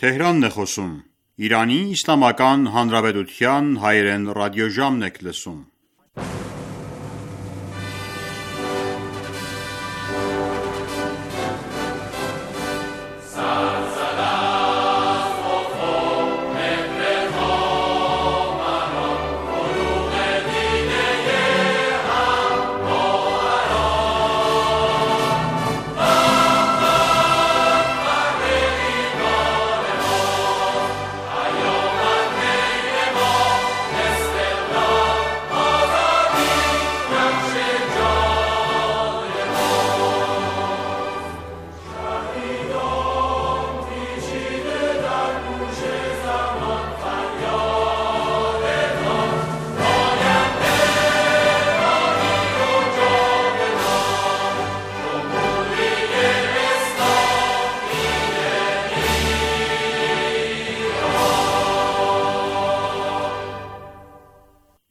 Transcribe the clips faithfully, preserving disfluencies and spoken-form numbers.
Թեհրանն է խոսում։ Իրանի Իսլամական Հանրապետության հայերեն ռադիոժամն եք լսում։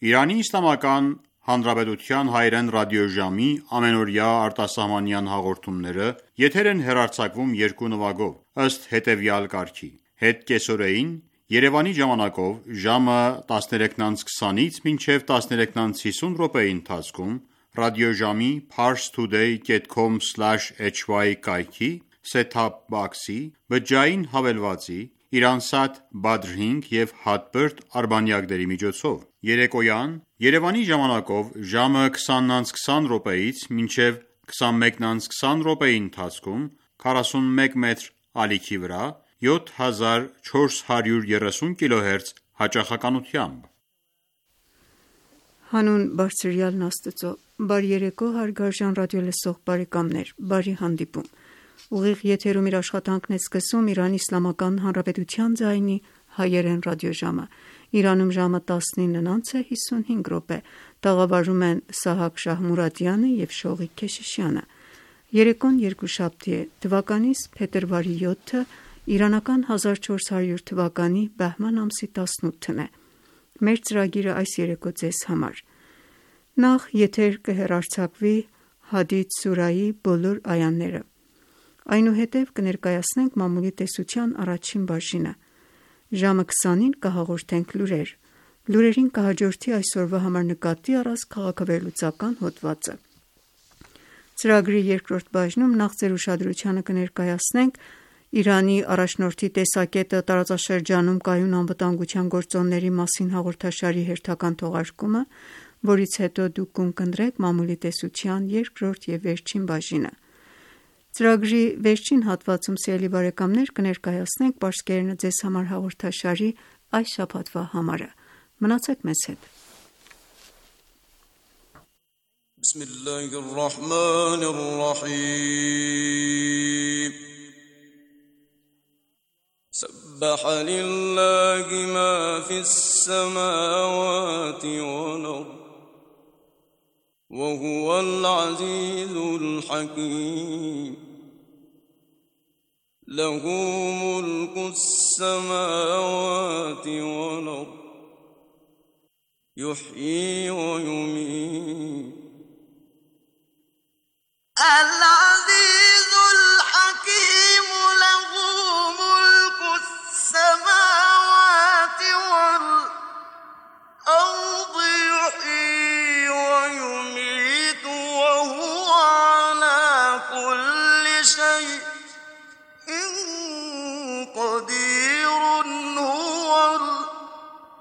Իրանի Իսլամական Հանրապետության հայերեն ռադիոժամի ամենօրյա արտասահմանյան հաղորդումները եթեր են հեռարձակվում երկու նվագով, ըստ հետևյալ կարգի. Հետկեսօրեին Երևանի ժամանակով ժամը տասներեքն անց քսանից մինչև տասներեքն անց հիսուն րոպեի ընթացքում ռադիոժամի parstoday dot com slash h y կայքի set-top box-ի բջջային հավելվածի Իրանսատ Badr հինգ և Hotbird արբանյակների միջոցով։ Երեկոյան Երևանի ժամանակով ժամը քսանն անց քսան րոպեից մինչև քսանմեկն անց քսան րոպեի ընթացքում քառասունմեկ մեթր ալիքի վրա յոթ հազար չորս հարյուր երեսուն կիլոհերց հաճախականությամբ։ Հանուն Բարձրյալն Աստծո, բարի երեկո հարգարժան ռադիոլսող բարեկամներ, բարի հանդիպում։ Ուղիղ եթերում իր աշխատանքն է սկսում Իրանի Իսլամական Հանրապետության ձայնի հայերեն ռադիոժամը։ Իրանում ժամը տասնինն անց է հիսունհինգ րոպե, տաղավարում են Սահակ Շահմուրադյանը և Շողիկ Քեշիշյանը։ Երեկոն երկուշաբթի է, թվականիս փետրվարի յոթը, իրանական հազար չորս հարյուր թվականի բահման ամսի տասնութն է։ Մեր ծրագիրը այս երեկո ձեզ համար։ Նախ եթեր կհեռարձակվի Հադիդ սուրայի բոլոր այաները։ Այնուհետև կներկայացնենք մամուլի տեսության առաջին բաժինը։ Ժամը քսանին կհաղորդենք լուրեր։ Լուրերին կհաջորդի այսօրվա համար նկատի առած քաղաքավերլուծական հոդվածը։ Ծրագրի երկրորդ բաժնում նախ ձեր ուշադրությանը կներկայացնենք Իրանի առաջնորդի տեսակետը տարածաշրջանում կայուն անվտանգության գործոնների մասին հաղորդաշարի հերթական թողարկումը, որից հետո դուք կընտրեք մամուլի տեսության երկրորդ և վերջին բաժինը։ Ծրագրի վերջին հատվածում, սիրելի բարեկամներ, կներկայացնենք Պարսկերենը ձեզ համար հաղորդաշարի այս շաբաթվա համարը։ Մնացեք մեզ հետ։ سبح لله ما في السماوات والأرض وهو العزيز الحكيم له ملك السماوات والأرض يحيي ويميت العزيز الحكيم له ملك السماوات والأرض يحيي ويميت وهو على كل شيء قدير هو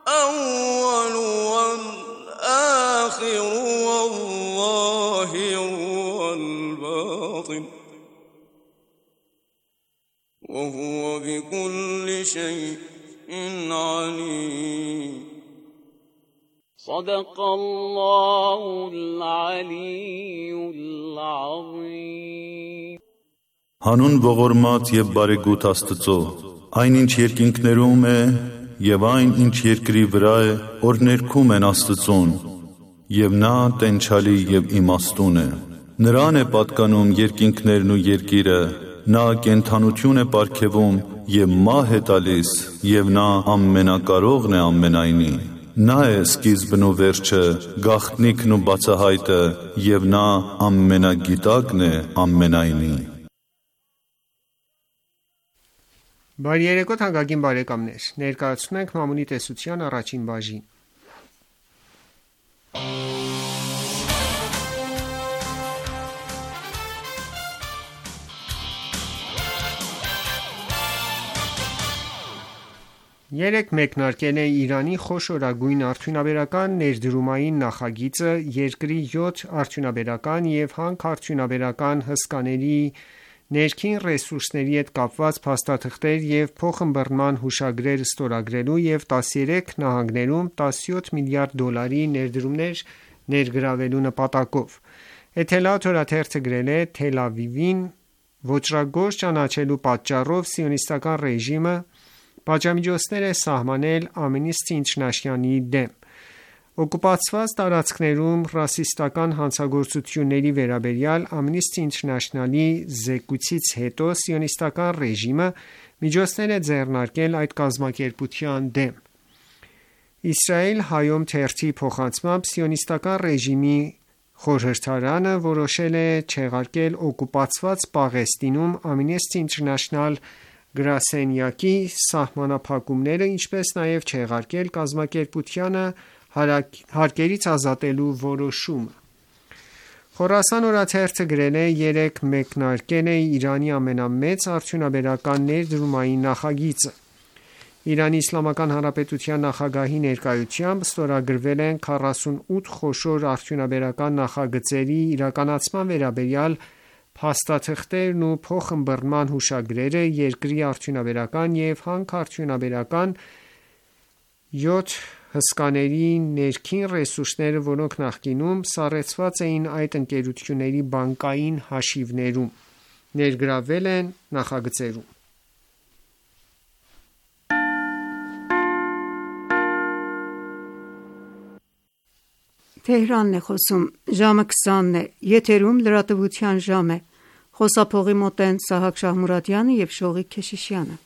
الأول والآخر والظاهر والباطن وهو بكل شيء عليم صدق الله العلي العظيم Հանուն ողորմած և բարեգութ Աստծո, այն ինչ երկինքներում է և այն ինչ երկրի վրա է, որ ներքում են Աստծուն, և նա տենչալի և իմաստուն է։ Նրան է պատկանում երկինքներն ու երկիրը, նա կենդանություն է պարգևում և մահ է տալիս, և նա ամենակարողն է ամենայնի։ Նա է սկիզբն ու վերջը, գաղտնիքն ու բացահայտը, և նա ամենագիտակն է ամենայնի։ Բարի երեկո թանկագին բարեկամներ, ներկայացնում ենք Մամունի տեսության առաջին բաժին։ Երեկ մեկնարկել է Իրանի խոշորագույն արդյունաբերական ներդրումային նախագիծը երկրի յոթ արդյունաբերական և հանքարդյունաբերական հսկաների ներքին ռեսուրսների հետ կապված փաստաթղթեր և փոխըմբռնման հուշագրեր ստորագրելու և տասներեք նահանգներում տասնյոթ միլիարդ դոլարի ներդրումներ ներգրավելու նպատակով։ Էթելաթ օրաթերթը գրել է. Թել Ավիվին ոճրագործ ճանաչելու պատճառով սիոնիստական ռեժիմը պատժամիջոցներ է սահմանել Amnesty International-ի դեմ։ Օկուպացված տարածքներում ռասիստական հանցագործությունների վերաբերյալ Amnesty International-ի զեկույցից հետո սիոնիստական ռեժիմը միջոցներ է ձեռնարկել այդ կազմակերպության դեմ։ Իսրայել Հայոմ թերթի փոխանցմամբ սիոնիստական ռեժիմի խորհրդարանը որոշել է չեղարկել օկուպացված Պաղեստինում Amnesty International գրասենյակի սահմանափակումները, ինչպես նաև չեղարկել կազմակերպությանը հարկերից ազատելու որոշումը։ Խորասան օրաթերթը գրել է. երեկ մեկնարկել է Իրանի ամենամեծ արդյունաբերական ներդրումային նախագիծը։ Իրանի Իսլամական Հանրապետության նախագահի ներկայությամբ ստորագրվել են քառասունութ խոշոր արդյունաբերական նախագծերի իրականացման վերաբերյալ փաստաթղթերն ու փոխըմբռնման հուշագրերը երկրի արդյունաբերական և հանքարդյունաբերական յոթ հսկաների ներքին ռեսուրսները, որոնք նախկինում սառեցված էին այդ ընկերությունների բանկային հաշիվներում, ներգրավվել են նախագծերում։ Թեհրանն է խոսում, ժամը քսանն է, եթերում լրատվության ժամ է, խոսափողի մոտ են Սահակ Շահմուրադյանը և Շողիկ Քեշիշյանը։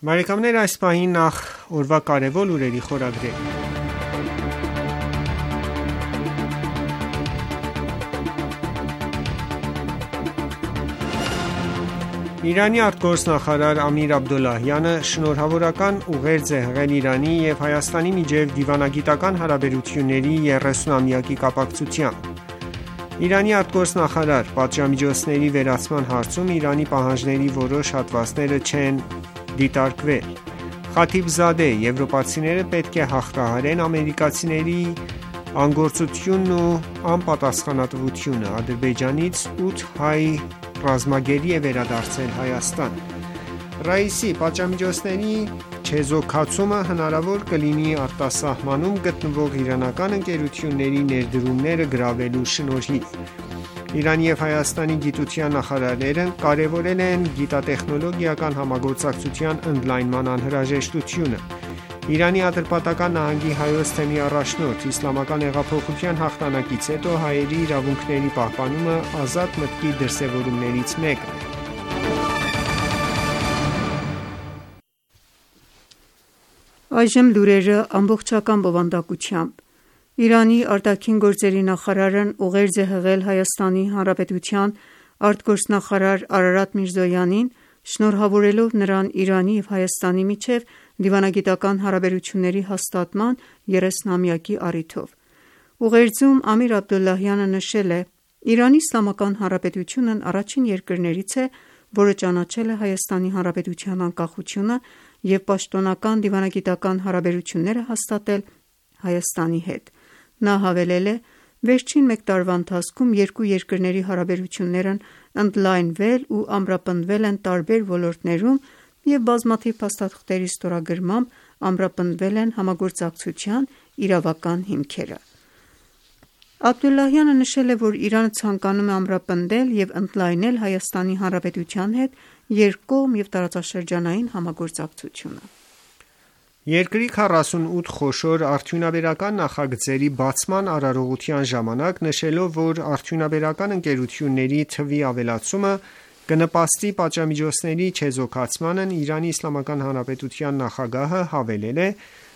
Բարեկամներ, այս պահին նախ օրվա կարևոր լուրերի խորագրեր։ Իրանի արտգործնախարար Ամիր Աբդոլլահյանը շնորհավորական ուղերձ է հղել Իրանի և Հայաստանի միջև դիվանագիտական հարաբերությունների երեսունամյակի կապակցությամբ։ Իրանի արտգործնախարար պատժամիջոցների վերացման հարցում Իրանի պահանջների որոշ հատվածները չեն դիտարկվել։ Խաթիբզադե եվրոպացիները պետք է հաղթահարեն ամերիկացիների անգործությունն ու անպատասխանատվությունը։ Ադրբեջանից ութ հայ ռազմագերի է վերադարձել Հայաստան։ Ռաիսի պատժամիջոցների չեզոքացումը հնարավոր կլինի արտասահմանում գտնվող իրանական ընկերությունների ներդրումները գրավելու շնորհիվ։ Իրանի և Հայաստանի գիտության նախարարները կարևորել են գիտատեխնոլոգիական համագործակցության ընդլայնման անհրաժեշտությունը։ Իրանի Ատրպատական նահանգի Հայոց թեմի առաջնորդ, Իսլամական հեղափոխության հաղթանակից հետո հայերի իրավունքների պահպանումը ազատ մտքի դրսևորումներից մեկն է։ Այժմ լուրերը ամբողջական բովանդակությամբ։ Իրանի արտաքին գործերի նախարարն ուղերձ է հղել Հայաստանի Հանրապետության արտգործնախարար Արարատ Միրզոյանին, շնորհավորելով նրան Իրանի և Հայաստանի միջև դիվանագիտական հարաբերությունների հաստատման երեսնամյակի առիթով։ Ուղերձում Ամիր Աբդոլլահյանը նշել է. «Իրանի Իսլամական Հանրապետությունն առաջին երկրներից է, որը ճանաչել է Հայաստանի Հանրապետության անկախությունը և պաշտոնական դիվանագիտական հարաբերություններ է հաստատել Հայաստանի հետ»։ Նա հավելել է. «Վերջին մեկ տարվա ընթացքում երկու երկրների հարաբերություններն ընդլայնվել ու ամրապնդվել են տարբեր ոլորտներում և բազմաթիվ փաստաթղթերի ստորագրմամբ ամրապնդվել են համագործակցության իրավական հիմքերը»։ Աբդոլլահյանը նշել է, որ Իրանը ցանկանում է ամրապնդել և ընդլայնել Հայաստանի Հանրապետության հետ երկկողմ և տարածաշրջանային համագործակցությունը։ Երկրի քառասունութ խոշոր արդյունաբերական նախագծերի բացման արարողության ժամանակ նշելով, որ արդյունաբերական ընկերությունների թվի ավելացումը կնպաստի պատժամիջոցների չեզոքացմանն, Իրանի Իսլամական Հանրապետության նախագահը հավելել է,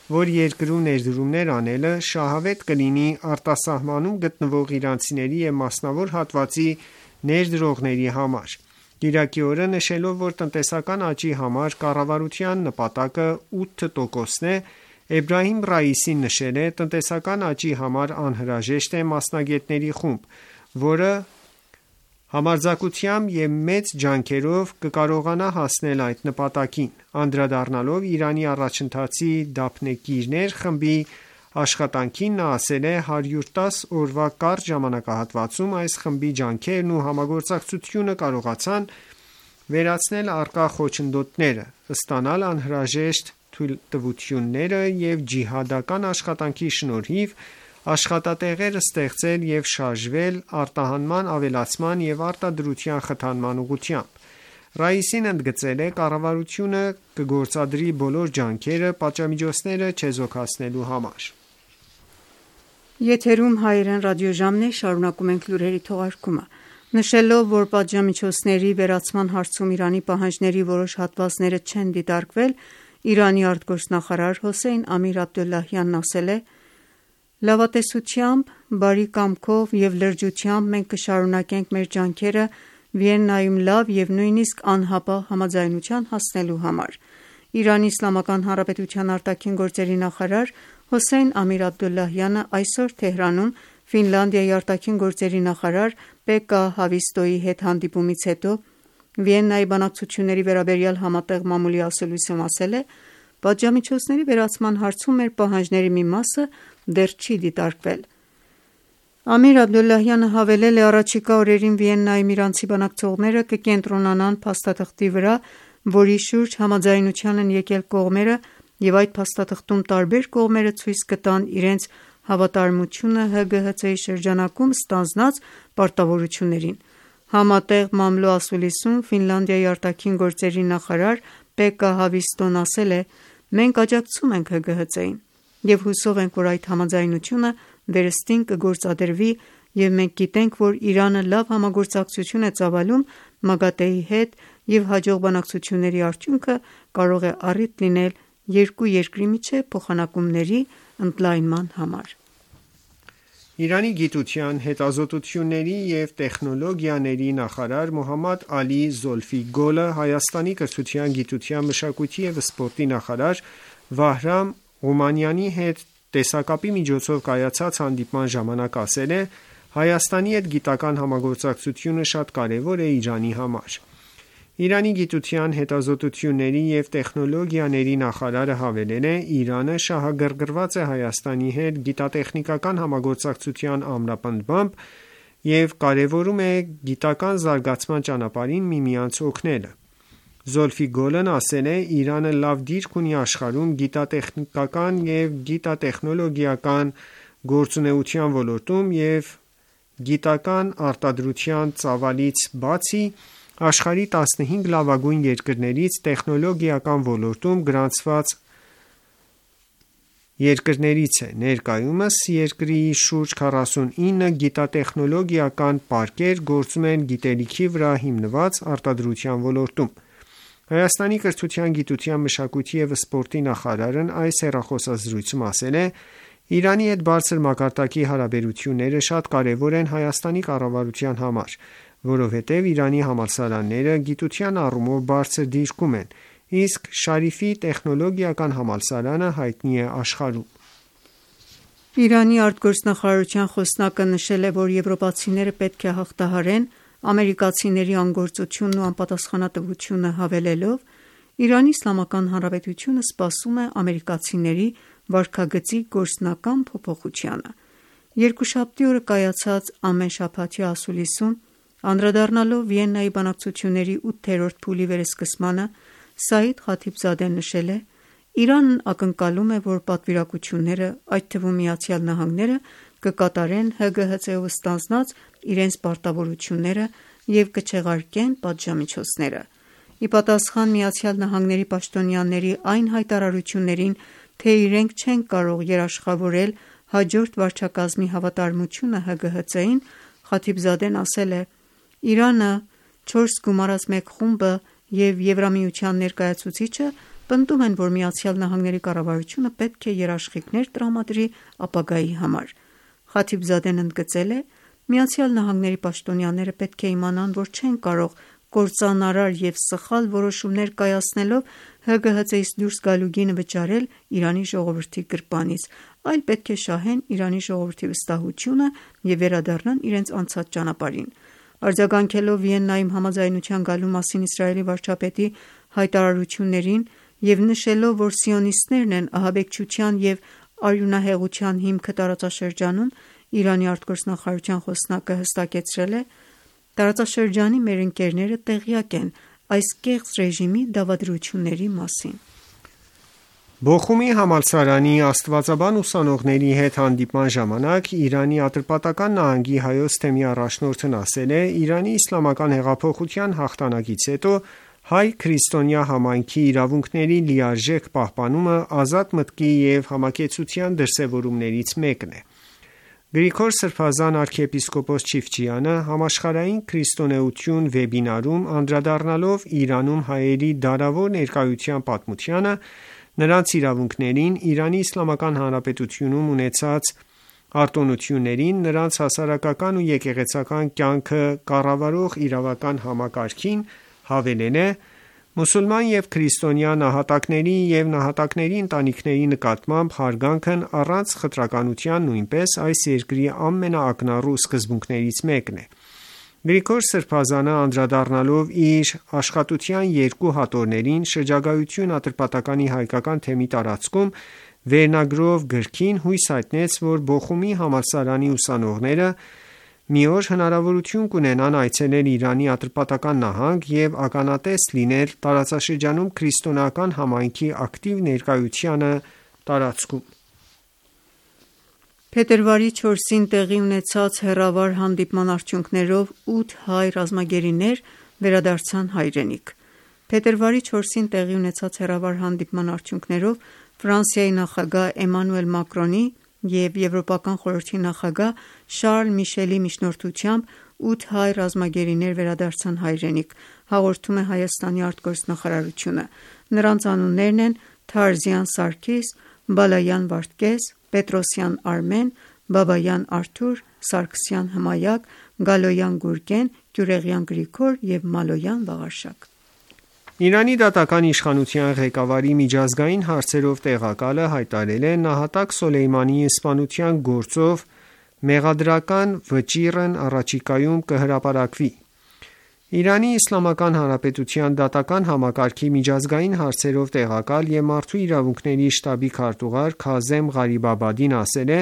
որ երկրում ներդրումներ անելը շահավետ կլինի արտասահմանում գտնվող իրանցիների և մասնավոր հատվածի ներդրողների համար: Կիրակի օրը նշելով, որ տնտեսական աճի համար կառավարության նպատակը ութ տոկոսն է, Էբրահիմ Ռայիսին նշել է. «Տնտեսական աճի համար անհրաժեշտ է մասնագետների խումբ, որը համարձակությամբ և մեծ ջանքերով կկարողանա հասնել այդ նպատակին»: Անդրադառնալով Իրանի առաջընթացի դափնեկիրներ խմբի աշխատանքին, նա ասել է. «հարյուր տասը օրվա կարճ ժամանակահատվածում այս խմբի ջանքերն ու համագործակցությունը կարողացան վերացնել առկա խոչընդոտները, ստանալ անհրաժեշտ թույլտվությունները և ջիհադական աշխատանքի շնորհիվ աշխատատեղեր ստեղծել և շարժվել արտահանման ավելացման և արտադրության խթանման ուղղությամբ»: Ռայիսին ընդգծել է. «Կառավարությունը կգործադրի բոլոր ջանքերը պատժամիջոցները չեզոքացնելու համար»: Եթերում հայերեն ռադիոժամն է, շարունակում ենք լուրերի թողարկումը: Նշելով, որ պատժամիջոցների վերացման հարցում Իրանի պահանջների որոշ հատվածները չեն դիտարկվել, Իրանի արտգործնախարար Հոսեյն Ամիր Աբդոլլահյանն ասել է. «Լավատեսությամբ, բարի կամքով և լրջությամբ մենք կշարունակենք մեր ջանքերը Վիեննայում լավ և նույնիսկ անհապաղ համաձայնության հասնելու համար»: Իրանի Իսլամական Հանրապետության արտաքին գործերի նախարար Հոսեյն Ամիր Աբդոլլահյանը այսօր Թեհրանում Ֆինլանդիայի արտաքին գործերի նախարար Պեկկա Հավիստոյի հետ հանդիպումից հետո Վիեննայի բանակցությունների վերաբերյալ համատեղ մամուլի ասուլիսում ասել է. «Պատժամիջոցների վերացման հարցում մեր պահանջների մի մասը դեռ չի դիտարկվել»: Ամիր Աբդոլլահյանը հավելել է. «Առաջիկա օրերին Վիեննայում իրանցի բանակցողները կկենտրոնանան փաստաթղթի վրա, որի շուրջ համաձայնության են եկել կողմերը և այդ փաստաթղթում տարբեր կողմերը ցույց կտան իրենց հավատարմությունը ՀԳՀԾ-ի շրջանակում ստանձնած պարտավորություններին»: Համատեղ մամլո ասուլիսում Ֆինլանդիայի արտաքին գործերի նախարար Պեկկա Հավիստոն ասել է. «Մենք աջակցում ենք ՀԳՀԾ-ին և հուսով ենք, որ այդ համաձայնությունը վերստին կգործադրվի և մենք գիտենք, որ Իրանը լավ համագործակցություն է ծավալում ՄԱԳԱՏԷ-ի հետ և հաջող բանակցությունների արդյունքը կարող է առիթ լինել երկու երկրի միջև փոխանակումների ընդլայնման համար»: Իրանի գիտության, հետազոտությունների և տեխնոլոգիաների նախարար Մոհամմադ Ալի Զոլֆի Գոլը Հայաստանի կրթության, գիտության, մշակույթի և սպորտի նախարար Վահրամ Ղումանյանի հետ տեսակապի միջոցով կայացած հանդիպման ժամանակ ասել է. «Հայաստանի հետ գիտական համագործակցությունը շատ կարևոր է Իրանի համար»: Իրանի գիտության, հետազոտությունների և տեխնոլոգիաների նախարարը հավելել է. «Իրանը շահագրգռված է Հայաստանի հետ գիտատեխնիկական համագործակցության ամրապնդմամբ և կարևորում է գիտական զարգացման ճանապարհին միմյանց օգնելը»: Զոլֆի Գոլն ասել է. «Իրանը լավ դիրք ունի աշխարհում գիտատեխնիկական և գիտատեխնոլոգիական գործունեության ոլորտում և գիտական արտադրության ծավալից բացի աշխարհի տասնհինգ լավագույն երկրներից տեխնոլոգիական ոլորտում գրանցված երկրներից է: Ներկայումս երկրի շուրջ քառասունինը գիտատեխնոլոգիական պարկեր գործում են գիտելիքի վրա հիմնված արտադրության ոլորտում»: Հայաստանի կրթության, գիտության, մշակույթի և սպորտի նախարարն այս հեռախոսազրույցում ասել է. «Իրանի հետ բարձր մակարդակի հարաբերությունները շատ կարևոր են Հայաստանի կառավարության համար, որովհետև Իրանի համալսարանները գիտության առումով բարձր դիրքում են, իսկ Շարիֆի տեխնոլոգիական համալսարանը հայտնի է աշխարհում»: Իրանի արտգործնախարարության խոսնակը նշել է, որ եվրոպացիները պետք է հաղթահարեն ամերիկացիների անգործությունն ու անպատասխանատվությունը, հավելելով. «Իրանի Իսլամական Հանրապետությունը սպասում է ամերիկացիների վարքագծի գործնական փոփոխությանը»: Երկուշաբթի օրը կայացած ամենշաբաթյա ասուլիսում անդրադառնալով Վիեննայի բանակցությունների ութերորդ փուլի վերսկսմանը, Սաիդ Խաթիբզադեն նշել է. «Իրանն ակնկալում է, որ պատվիրակությունները, այդ թվում ԱՄՆ-ը, կկատարեն ՀԳՀԾ-ով ստանձնած իրենց պարտավորությունները և կչեղարկեն պատժամիջոցները»: Ի պատասխան ԱՄՆ պաշտոնյաների այն հայտարարություններին, թե իրենք չեն կարող երաշխավորել հաջորդ վարչակազմի հավատարմությունը ՀԳՀԾ-ին, Խաթիբզադեն ասել է. «Իրանը, չորս գումարած մեկ խումբը և Եվրամիության ներկայացուցիչը պնդում են, որ Միացյալ Նահանգների կառավարությունը պետք է երաշխիքներ տրամադրի ապագայի համար։ Խաթիբզադեն ընդգծել է. «Միացյալ Նահանգների պաշտոնյաները պետք է իմանան, որ չեն կարող կործանարար և սխալ որոշումներ կայացնելով ՀԳՀԾ-ից դուրս գալու գինը վճարել Իրանի ժողովրդի գրպանից, այլ պետք է շահեն Իրանի ժողովրդի վստահությունը և վերադառնան իրենց անցած ճանապարհին»։ Արձագանքելով Վիեննայում համաձայնության գալու մասին Իսրայելի վարչապետի հայտարարություններին և նշելով, որ սիոնիստներն են ահաբեկչության և արյունահեղության հիմքը տարածաշրջանում, Իրանի արտգործնախարարության խոսնակը հստակեցրել է. «Տարածաշրջանի մեր ընկերները տեղյակ են այս կեղծ ռեժիմի դավադրությունների մասին»։ Բոխումի համալսարանի աստվածաբան ուսանողների հետ հանդիպման ժամանակ Իրանի Ատրպատական նահանգի Հայոց թեմի առաջնորդն ասել է. «Իրանի իսլամական հեղափոխության հաղթանակից հետո հայ-քրիստոնյա համայնքի իրավունքների լիարժեք պահպանումը ազատ մտքի և համակեցության դրսևորումներից մեկն է»։ Գրիգոր Սրբազան arczepiskopos Չիֆչյանը «Համաշխարհային քրիստոնեություն» վեբինարում անդրադառնալով Իրանում հայերի դարավոր ներկայության պատմությանը, նրանց իրավունքներին, Իրանի Իսլամական Հանրապետությունում ունեցած արտոնություններին, նրանց հասարակական ու եկեղեցական կյանքը կառավարող իրավական համակարգին, հավելել է. «Մուսուլման և քրիստոնյա նահատակների և նահատակների ընտանիքների նկատմամբ հարգանքն առանց խտրականության նույնպես այս երկրի ամենաակնառու սկզբունքներից մեկն է»։ Գրիգոր Սրբազանը անդրադառնալով իր աշխատության երկու հատորներին «Շրջագայություն Ատրպատականի հայկական թեմի տարածքում» վերնագրով գրքին, հույս հայտնեց, որ Բոխումի համալսարանի ուսանողները մի օր հնարավորություն կունենան այցելել Իրանի Ատրպատական նահանգ և ականատես լինել տարածաշրջանում քրիստոնեական համայնքի ակտիվ ներկայությանը տարածքում։ Փետրվարի չորսին տեղի ունեցած հեռավար հանդիպման արդյունքներով ութ հայ ռազմագերիներ վերադարձան հայրենիք։ Փետրվարի չորսին տեղի ունեցած հեռավար հանդիպման արդյունքներով Ֆրանսիայի նախագահ Էմանուել Մակրոնի և Եվրոպական խորհրդի նախագահ Շարլ Միշելի միջնորդությամբ ութ հայ ռազմագերիներ վերադարձան հայրենիք, հաղորդում է Հայաստանի արտգործնախարարությունը։ Նրանց անուններն են Թարզյան Սարգիս, Բալայան Վարդգես, Պետրոսյան Արմեն, Բաբայան Արթուր, Սարգսյան Հմայակ, Գալոյան Գուրգեն, Գյուրեղյան Գրիգոր և Մալոյան Վաղարշակ։ Իրանի դատական իշխանության ղեկավարի միջազգային հարցերով տեղակալը հայտարարել է. «Նահատակ Սոլեյմանիի սպանության գործով մեղադրական վճիռն առաջիկայում կհրապարակվի»։ Իրանի Իսլամական Հանրապետության դատական համակարգի միջազգային հարցերով տեղակալ և մարդու իրավունքների շտաբի քարտուղար Քազեմ Ղարիբաբադին ասել է.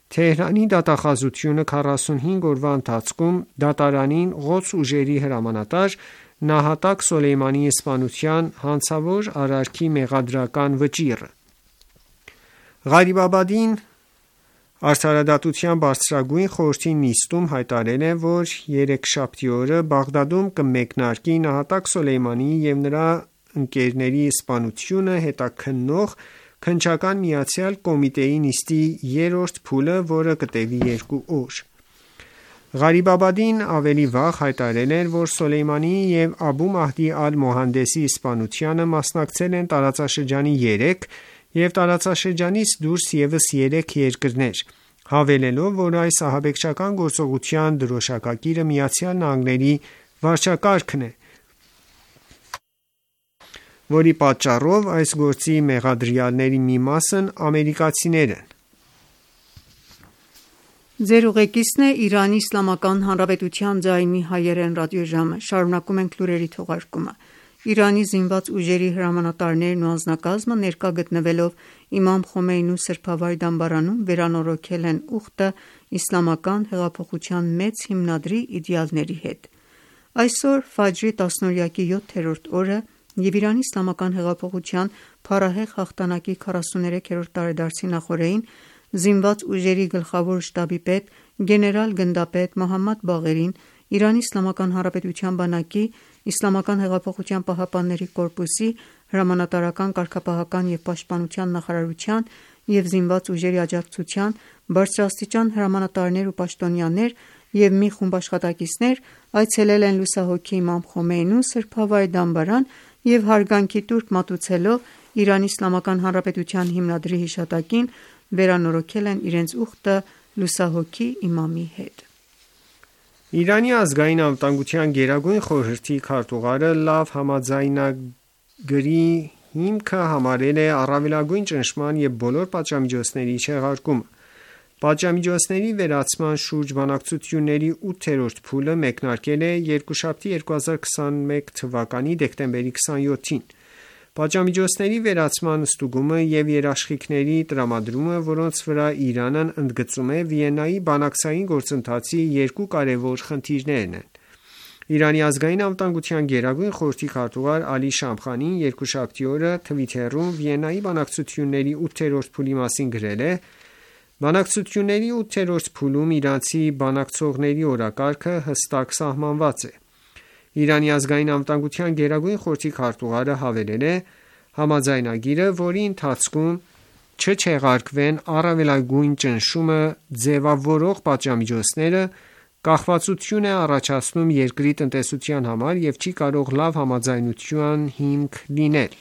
«Թեհրանի դատախազությունը քառասունհինգ օրվա ընթացքում դատարանին Ղոդս ուժերի հրամանատար նահատակ Սոլեյմանիի սպանության հանցավոր արարքի մեղադրական վճիռը»։ Ղարիբաբադին Արդարադատության բարձրագույն խորհրդի նիստում հայտարարել է, որ երեքշաբթի օրը Բաղդադում կմեկնարկի նահատակ Սոլեյմանիի և նրա ընկերների սպանությունը հետաքննող քննչական միացյալ կոմիտեի նիստի երրորդ փուլը, որը կտևի երկու օր։ Ղարիբաբադին ավելի վաղ հայտարարել էր, որ Սոլեյմանիի և Աբու Մահդի Ալ-Մոհանդեսի սպանությանը մասնակցել են տարածաշրջանի երեք և տարածաշրջանից դուրս ևս երեք երկրներ, հավելելով, որ այս ահաբեկչական գործողության դրոշակակիրը ԱՄՆ վարչակարգն է, որի պատճառով այս գործի մեղադրյալների մի մասն ամերիկացիներ են։ Շարունակում ենք լուրերի թողարկումը։ Իրանի զինված ուժերի հրամանատարներն ու անձնակազմը ներկա գտնվելով Իմամ Խոմեյնու սրբավայր դամբարանում վերանորոգել են ուխտը իսլամական հեղափոխության մեծ հիմնադրի իդեալների հետ։ Այսօր Ֆաջրի տասնօրյակի յոթերորդ օրը և Իրանի իսլամական հեղափոխության փառահեղ հաղթանակի քառասուներեքերորդ տարեդարձի նախօրեին զինված ուժերի գլխավոր շտաբի պետ գեներալ-գնդապետ Մոհամմադ Բաղերին, Իրանի Իսլամական Հանրապետության բանակի, Իսլամական հեղափոխության պահապանների կորպուսի, հրամանատարական կարգապահական և պաշտպանության նախարարության և զինված ուժերի աջակցության բարձրաստիճան հրամանատարներ ու պաշտոնյաներ և մի խումբ աշխատակիցներ այցելել են լուսահոգի Իմամ Խոմեյնու սրբավայր դամբարան և հարգանքի տուրք մատուցելով Իրանի Իսլամական Հանրապետության հիմնադրի հիշատակին վերանորոգել են իրենց ուխտը լուսահոգի իմամի հետ։ Իրանի ազգային անվտանգության գերագույն խորհրդի քարտուղարը լավ համաձայնագրի հիմքը համարել է առավելագույն ճնշման և բոլոր պատժամիջոցների չեղարկումը։ Պատժամիջոցների վերացման շուրջ բանակցությունների ութերորդ փուլը մեկնարկել է երկուշաբթի երկու հազար քսաներկու թվականի դեկտեմբերի քսաներկուսին։ Պատժամիջոցների վերացման ստուգումը և երաշխիքների տրամադրումը, որոնց վրա Իրանն ընդգծում է Վիեննայի բանակցային գործընթացի երկու կարևոր խնդիրներն են։ Իրանի ազգային անվտանգության գերագույն խորհրդի քարտուղար Ալի Շամխանին երկուշաբթի օրը Թվիթերում Վիեննայի բանակցությունների ութերորդ փուլի մասին գրել է. «Բանակցությունների ութերորդ փուլում իրանցի բանակցողների օրակարգը հստակ սահմանված է»։ Իրանի ազգային անվտանգության գերագույն խորհրդի քարտուղարը հավելել է. «Համաձայնագիրը, որի ընթացքում չչեղարկվեն առավելագույն ճնշումը ձևավորող պատժամիջոցները, կախվածություն է առաջացնում երկրի տնտեսության համար և չի կարող լավ համաձայնության հիմք լինել»։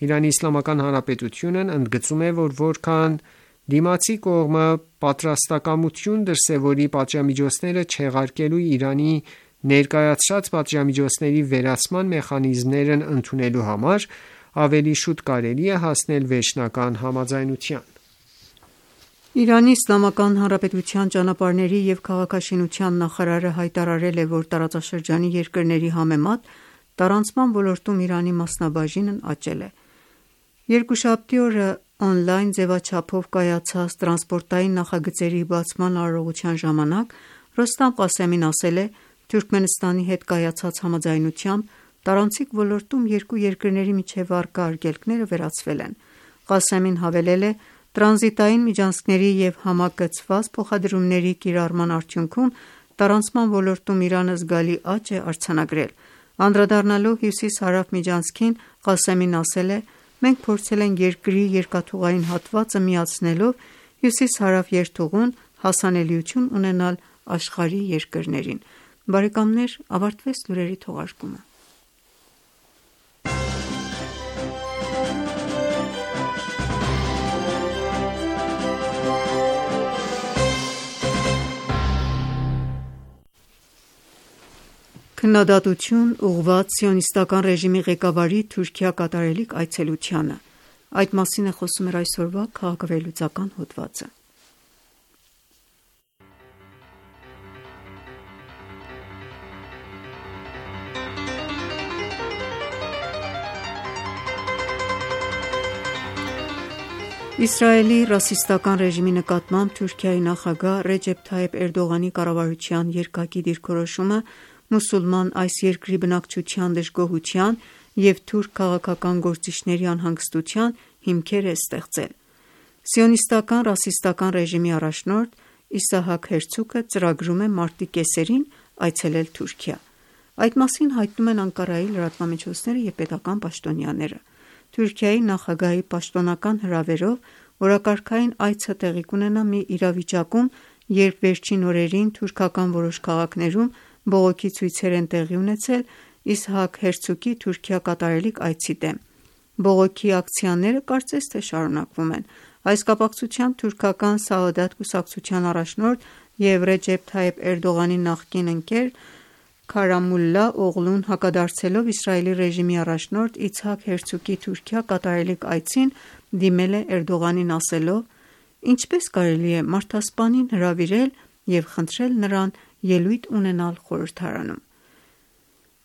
Իրանի Իսլամական Հանրապետությունն ընդգծում է, որ որքան դիմացի կողմը պատրաստակամություն դրսևորի պատժամիջոցները չեղարկելու Իրանի ներկայացրած պատժամիջոցների վերացման մեխանիզմներն ընդունելու համար, ավելի շուտ կարելի է հասնել վերջնական համաձայնության։ Իրանի Իսլամական Հանրապետության ճանապարհների և քաղաքաշինության նախարարը հայտարարել է, որ տարածաշրջանի երկրների համեմատ տարանցման ոլորտում Իրանի մասնաբաժինն աճել է։ Երկուշաբթի օրը օնլայն ձևաչափով կայացած տրանսպորտային նախագծերի բացման արարողության ժամանակ Ռոստամ Ղասեմին ասել է. «Թուրքմենստանի հետ կայացած համաձայնությամբ տարանցիկ ոլորտում երկու երկրների միջև առկա արգելքները վերացվել են»։ Ղասեմին հավելել է. «Տրանզիտային միջանցքների և համակցված փոխադրումների կիրառման արդյունքում տարանցման ոլորտում Իրանը զգալի աճ է արձանագրել»։ Անդրադառնալով հյուսիս-հարավ միջանցքին, Ղասեմին ասել է. «Մենք փորձել ենք երկրի երկաթուղային հատվածը միացնելով հյուսիս-հարավ երթուղուն հասանելիություն ունենալ աշխարհի երկրներին»։ Բարեկամներ, ավարտվեց լուրերի թողարկումը։ Քննադատություն ուղղված սիոնիստական ռեժիմի ղեկավարի Թուրքիա կատարելիք այցելությանը։ Այդ մասին է խոսում մեր այսօրվա քաղաքավերլուծական հոդվածը։ Իսրայելի ռասիստական ռեժիմի նկատմամբ Թուրքիայի նախագահ Ռեջեփ Թայիփ Էրդողանի կառավարության երկակի դիրքորոշումը մուսուլման այս երկրի բնակչության դժգոհության և թուրք քաղաքական գործիչների անհանգստության հիմքեր է ստեղծել։ Սիոնիստական ռասիստական ռեժիմի առաջնորդ Իսահակ Հերցոգը ծրագրում է մարտի կեսերին այցելել Թուրքիա։ Այդ մասին հայտնում են Անկարայի լրատվամիջոցները և պետական պաշտոնյաները։ Թուրքիայի նախագահի պաշտոնական հրավերով օրակարգային այցը տեղի կունենա մի իրավիճակում, երբ վերջին օրերին թուրքական որոշ քաղաքներում բողոքի ցույցեր են տեղի ունեցել Իսահակ Հերցոգի Թուրքիա կատարելիք այցի դեմ։ Բողոքի ակցիաները կարծես թե շարունակվում են։ Այս կապակցությամբ թուրքական Սաադաթ կուսակցության առաջնորդ և Ռեջեփ Թայիփ Էրդողանի նախկին ընկեր Քարամուլլա Օղլուն հակադարձելով Իսրայելի ռեժիմի առաջնորդ Իցհակ Հերցոգի Թուրքիա կատարելիք այցին, դիմել է Էրդողանին ասելով. «Ինչպես կարելի է մարդասպանին հրավիրել և խնդրել նրան ելույթ ունենալ խորհրդարանում»։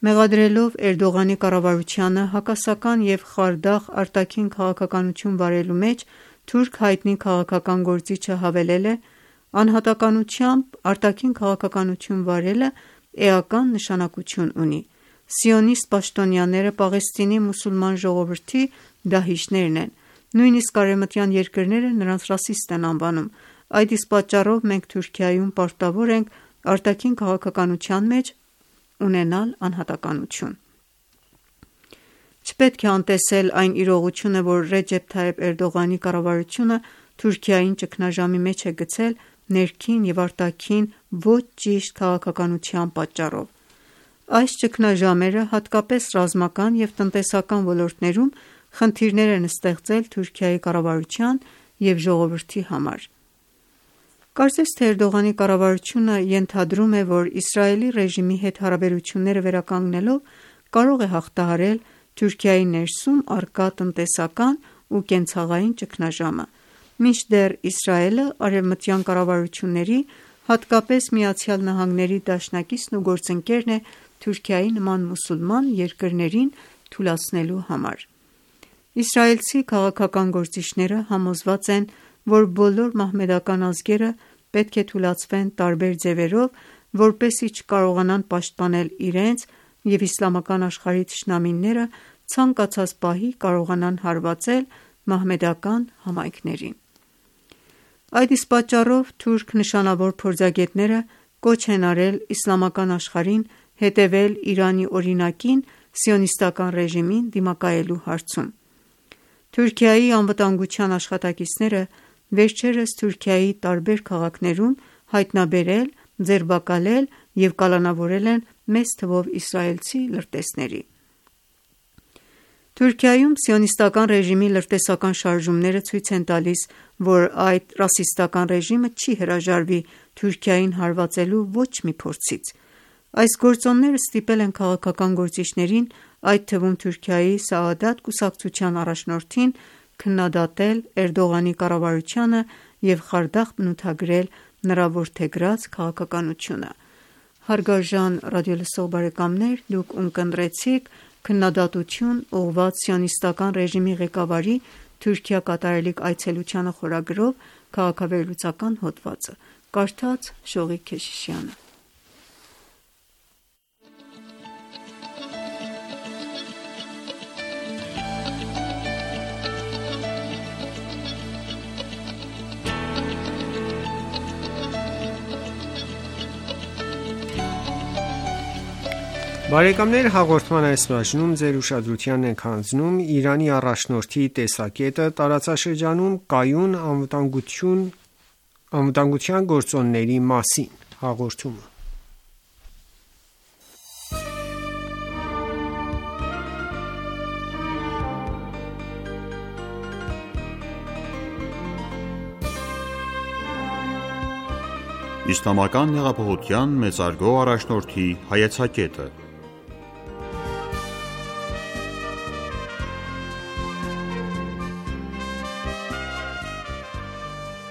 Մեղադրելով Էրդողանի կառավարությանը հակասական և խարդախ արտաքին քաղաքականություն վարելու մեջ, թուրք հայտնի քաղաքական գործիչը հավելել է. «Անհատականությամբ արտաքին քաղաքականություն վարելը էական նշանակություն ունի։ Սիոնիստ պաշտոնյաները Պաղեստինի մուսուլման ժողովրդի դահիճներն են։ Նույնիսկ արևմտյան երկրները նրանց ռասիստ են անվանում։ Այդ իսկ պատճառով մենք Թուրքիայում պարտավոր ենք արտաքին քաղաքականության մեջ ունենալ անհատականություն»։ Չպետք է անտեսել այն իրողությունը, որ Ռեջեփ Թայիփ Էրդողանի կառավարությունը Թուրքիային ճգնաժամի մեջ է գցել ներքին և արտաքին ոչ ճիշտ քաղաքականության պատճառով։ Այս ճգնաժամերը հատկապես ռազմական և տնտեսական ոլորտներում խնդիրներ են ստեղծել Թուրքիայի կառավարության և ժողովրդի համար։ Կարծես թե Էրդողանի կառավարությունը ենթադրում է, որ Իսրայելի ռեժիմի հետ հարաբերությունները վերականգնելով կարող է հաղթահարել Թուրքիայի ներսում առկա տնտեսական ու կենցաղային ճգնաժամը, մինչդեռ Իսրայելը արևմտյան կառավարությունների, հատկապես ԱՄՆ-ի դաշնակիցն ու գործընկերն է Թուրքիայի նման մուսուլման երկրներին թուլացնելու համար։ Իսրայելցի քաղաքական գործիչները համոզված են, որ բոլոր մահմեդական ազգերը պետք է թուլացվեն տարբեր ձևերով, որպեսզի չկարողանան պաշտպանել իրենց և իսլամական աշխարհի թշնամիները ցանկացած պահի կարողանան հարվածել մահմեդական համայնքներին։ Այդ իսկ պատճառով թուրք նշանավոր փորձագետները կոչ են արել իսլամական աշխարհին հետևել Իրանի օրինակին սիոնիստական ռեժիմին դիմակայելու հարցում։ Թուրքիայի անվտանգության աշխատակիցները վերջերս Թուրքիայի տարբեր քաղաքներում հայտնաբերել, ձերբակալել և կալանավորել են մեծ թվով իսրայելցի լրտեսների։ Թուրքիայում սիոնիստական ռեժիմի լրտեսական շարժումները ցույց են տալիս, որ այդ ռասիստական ռեժիմը չի հրաժարվի Թուրքիային հարվածելու ոչ մի փորձից։ Այս գործոնները ստիպել են քաղաքական գործիչներին, այդ թվում Թուրքիայի Սաադաթ կուսակցության առաջնորդին, քննադատել Էրդողանի կառավարությանը և խարդախ բնութագրել նրա որդեգրած քաղաքականությունը։ Հարգարժան ռադիոլսող բարեկամներ, դուք ունկնդրեցիք «Քննադատություն ուղղված սիոնիստական ռեժիմի ղեկավարի Թուրքիա կատարելիք այցելությանը» խորագրով քաղաքավերլուծական հոդվածը։ Կարդաց Շողիկ Քեշիշյանը։ Բարեկամներ, հաղորդման այս բաժնում ձեր ուշադրությանն ենք հանձնում Իրանի առաջնորդի տեսակետը տարածաշրջանում կայուն անվտանգություն, անվտանգության գործոնների մասին հաղորդումը։ Իսլամական հեղափոխության մեծարգո առաջնորդի հայեցակետը։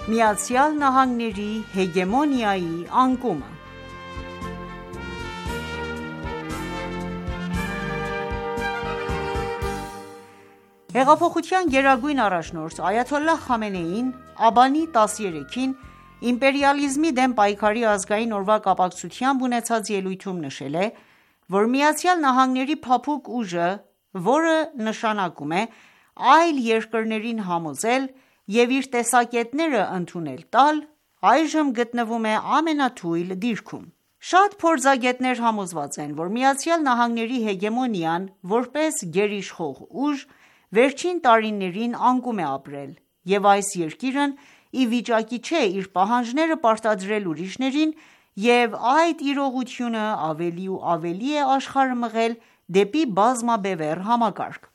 Միացյալ Նահանգների հեգեմոնիայի անկումը։ Հեղափոխության գերագույն առաջնորդ այաթոլլահ Խամենեին աբանի տասներեքին իմպերիալիզմի դեմ պայքարի ազգային օրվա կապակցությամբ ունեցած ելույթում նշել է, որ Միացյալ Նահանգների փափուկ ուժը, որը նշանակում է այլ երկրներին համոզել և իր տեսակետները ընդունել տալ, այժմ գտնվում է ամենաթույլ դիրքում։ Շատ փորձագետներ համոզված են, որ Միացյալ Նահանգների հեգեմոնիան, որպես գերիշխող ուժ, վերջին տարիներին անկում է ապրել, և այս երկիրն ի վիճակի չէ իր պահանջները պարտադրել ուրիշներին, և այդ իրողությունը ավելի ու ավելի է աշխարհը մղել դեպի բազմաբևեռ համակարգ։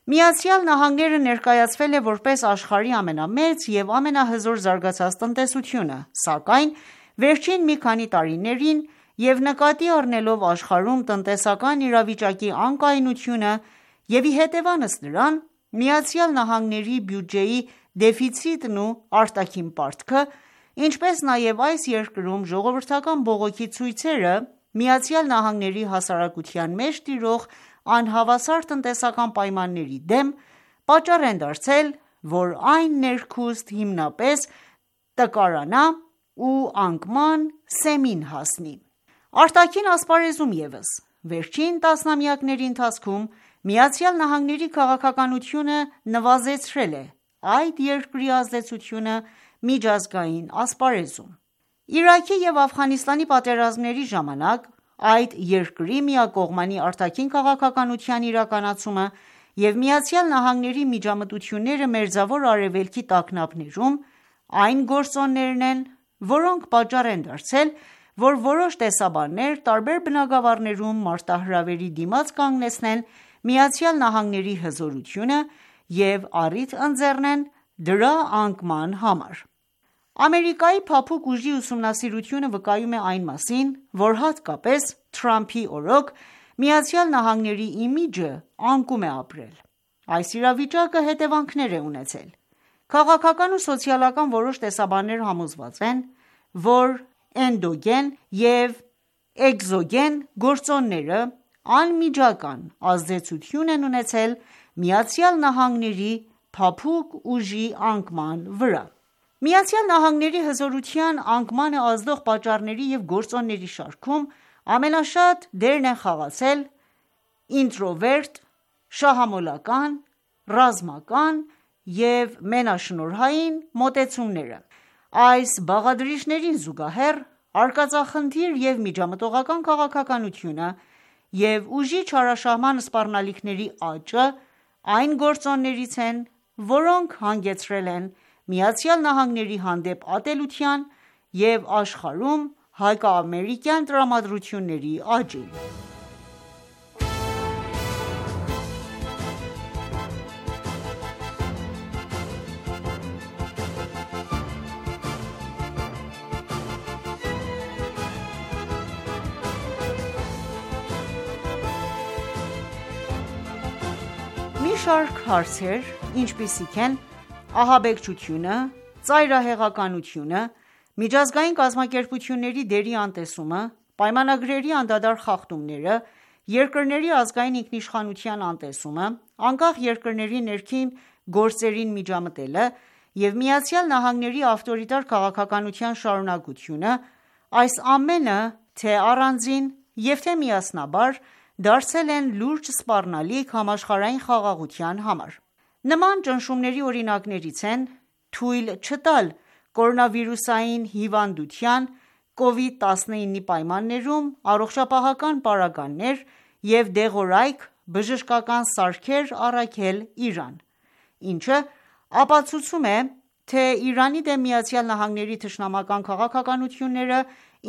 Միացյալ Նահանգները ներկայացվել է որպես աշխարհի ամենամեծ և ամենահզոր զարգացած տնտեսությունը, սակայն վերջին մի քանի տարիներին և նկատի առնելով աշխարհում տնտեսական իրավիճակի անկայունությունը և ի հետևանս նրան, Միացյալ Նահանգների բյուջեի դեֆիցիտն ու արտաքին պարտքը, ինչպես նաև այս երկրում ժողովրդական բողոքի ցույցերը ԱՄՆ-ի հասարակության մեջ տիրող անհավասար տնտեսական պայմանների դեմ, պատճառ են դարձել, որ այն ներքուստ հիմնապես տկարանա ու անկման սեմին հասնի։ Արտաքին ասպարեզում ևս, վերջին տասնամյակների ընթացքում ԱՄՆ-ի քաղաքականությունը նվազեցրել է այդ երկրի ազդեցությունը միջազգային ասպարեզում։ Իրաքի և Աֆղանստանի պատերազմների ժամանակ այդ երկրի միակողմանի արտաքին քաղաքականության իրականացումը և ԱՄՆ-ի միջամտությունները Մերձավոր Արևելքի տագնապներում այն գործոններն են, որոնք պատճառ են դարձել, որ որոշ տեսաբաններ տարբեր բնագավառներում մարտահրավերի դիմաց կանգնեցնեն ԱՄՆ-ի հզորությունը և առիթ ընձեռնեն դրա անկման համար: Ամերիկայի փափուկ ուժի ուսումնասիրությունը վկայում է այն մասին, որ հատկապես Թրամփի օրոք ԱՄՆ-ի իմիջը անկում է ապրել: Այս իրավիճակը հետևանքներ է ունեցել: Քաղաքական ու սոցիալական որոշ տեսաբաններ համոզված են, որ էնդոգեն և էկզոգեն գործոնները անմիջական ազդեցություն են ունեցել ԱՄՆ-ի փափուկ ուժի անկման վրա: ԱՄՆ-ի հզորության անկմանը ազդող պատճառների և գործոնների շարքում ամենաշատ դերն են խաղացել ինտրովերտ, շահամոլական, ռազմական և մենաշնորհային մոտեցումները: Այս բաղադրիչներին զուգահեռ, արկածախնդիր և միջամտողական քաղաքականությունը և ուժի չարաշահման սպառնալիքների աճը այն գործոններից են, որոնք հանգեցրել են ԱՄՆ-ի հանդեպ ատելության և աշխարհում հակաամերիկյան տրամադրությունների աճին: Մի շարք հարցեր, ինչպիսիք են ահաբեկչությունը, ծայրահեղականությունը, միջազգային կազմակերպությունների դերի անտեսումը, պայմանագրերի անդադար խախտումները, երկրների ազգային ինքնիշխանության անտեսումը, անկախ երկրների ներքին գործերին միջամտելը և ԱՄՆ-ի ավտորիտար քաղաքականության շարունակությունը, այս ամենը թե առանձին և թե միասնաբար դարձել են լուրջ սպառնալիք համաշխարհային խաղաղության համար: Նման ճնշումների օրինակներից են թույլ չտալ կորոնավիրուսային հիվանդության կովիդ տասնինի պայմաններում առողջապահական պարագաներ և դեղորայք բժշկական սարքեր առաքել Իրան, ինչը ապացուցում է, թե Իրանի դեմ ԱՄՆ-ի թշնամական քաղաքականությունները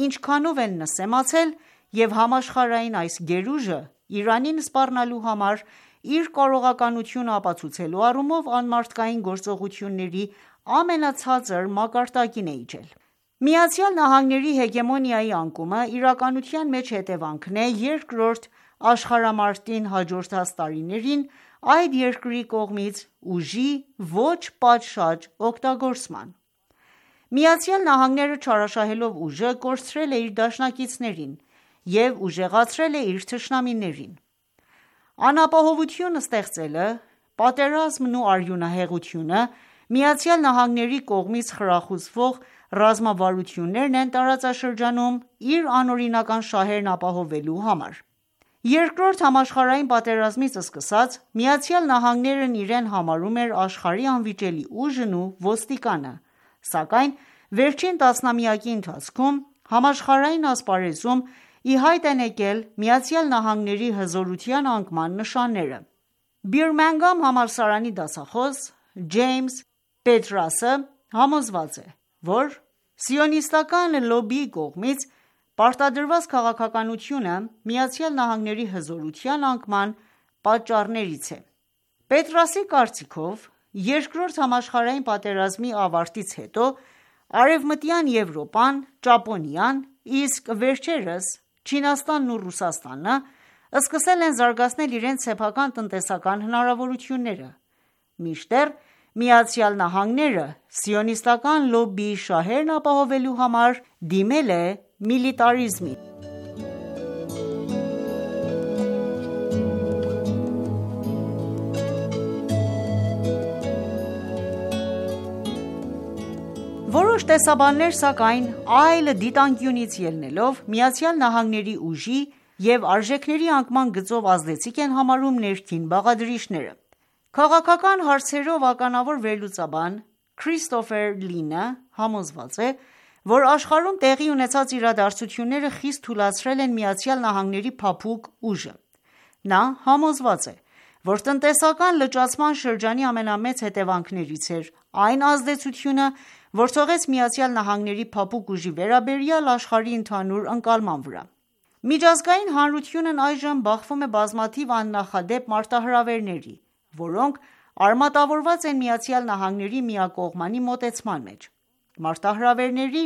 ինչքանով են նսեմացել և համաշխարհային այս գերուժը Իրանին սպառնալու համար իր կարողականությունը ապացուցելու առումով անմարդկային գործողությունների ամենացածր մակարդակին է իջել: ԱՄՆ-ի հեգեմոնիայի անկումը իրականության մեջ հետևանքն է երկրորդ աշխարհամարտին հաջորդած տարիներին այդ երկրի կողմից ուժի ոչ պատշաճ օգտագործման: ԱՄՆ-ը չարաշահելով ուժը, կորցրել է իր դաշնակիցներին և ուժեղացրել է իր թշնամիներին: Անապահովություն ստեղծելը, պատերազմն ու արյունահեղությունը, ԱՄՆ-ի կողմից խրախուսվող ռազմավարություններն են տարածաշրջանում իր անօրինական շահերն ապահովելու համար: Երկրորդ համաշխարհային պատերազմից սկսած, ԱՄՆ-ն իրեն համարում էր աշխարհի անվիճելի ուժն ու ոստիկանը, սակայն վերջին տասնամյակի ընթացքում համաշխարհային ասպարեզում ի հայտ են եկել ԱՄՆ-ի հզորության անկման նշանները: Բիրմինգհամ համալսարանի դասախոս Ջեյմս Պետրասը համոզված է, որ սիոնիստական լոբբիի կողմից պարտադրված քաղաքականությունը ԱՄՆ-ի հզորության անկման պատճառներից է: Պետրասի կարծիքով, Երկրորդ համաշխարհային պատերազմի ավարտից հետո Արևմտյան Եվրոպան, Ճապոնիան, իսկ վերջերս Չինաստանն ու Ռուսաստանը սկսել են զարգացնել իրենց սեփական տնտեսական հնարավորությունները, մինչդեռ ԱՄՆ-ը սիոնիստական լոբբիի շահերն ապահովելու համար դիմել է միլիտարիզմին: Որոշ տեսաբաններ, սակայն, այլ դիտանկյունից ելնելով, ԱՄՆ-ի ուժի և արժեքների անկման գծով ազդեցիկ են համարում ներքին բաղադրիչները: Քաղաքական հարցերով ականավոր վերլուծաբան Քրիստոֆեր Լինը համոզված է, որ աշխարհում տեղի ունեցած իրադարձությունները խիստ թուլացրել են ԱՄՆ-ի փափուկ ուժը: Նա համոզված է, որ տնտեսական լճացման շրջանի ամենամեծ հետևանքներից էր այն ազդեցությունը, որ թողեց ԱՄՆ-ի փափուկ ուժի վերաբերյալ աշխարհի ընդհանուր ընկալման վրա: Միջազգային հանրությունն այժմ բախվում է բազմաթիվ աննախադեպ մարտահրավերների, որոնք արմատավորված են Միացյալ Նահանգների միակողմանի մոտեցման մեջ։ Մարտահրավերների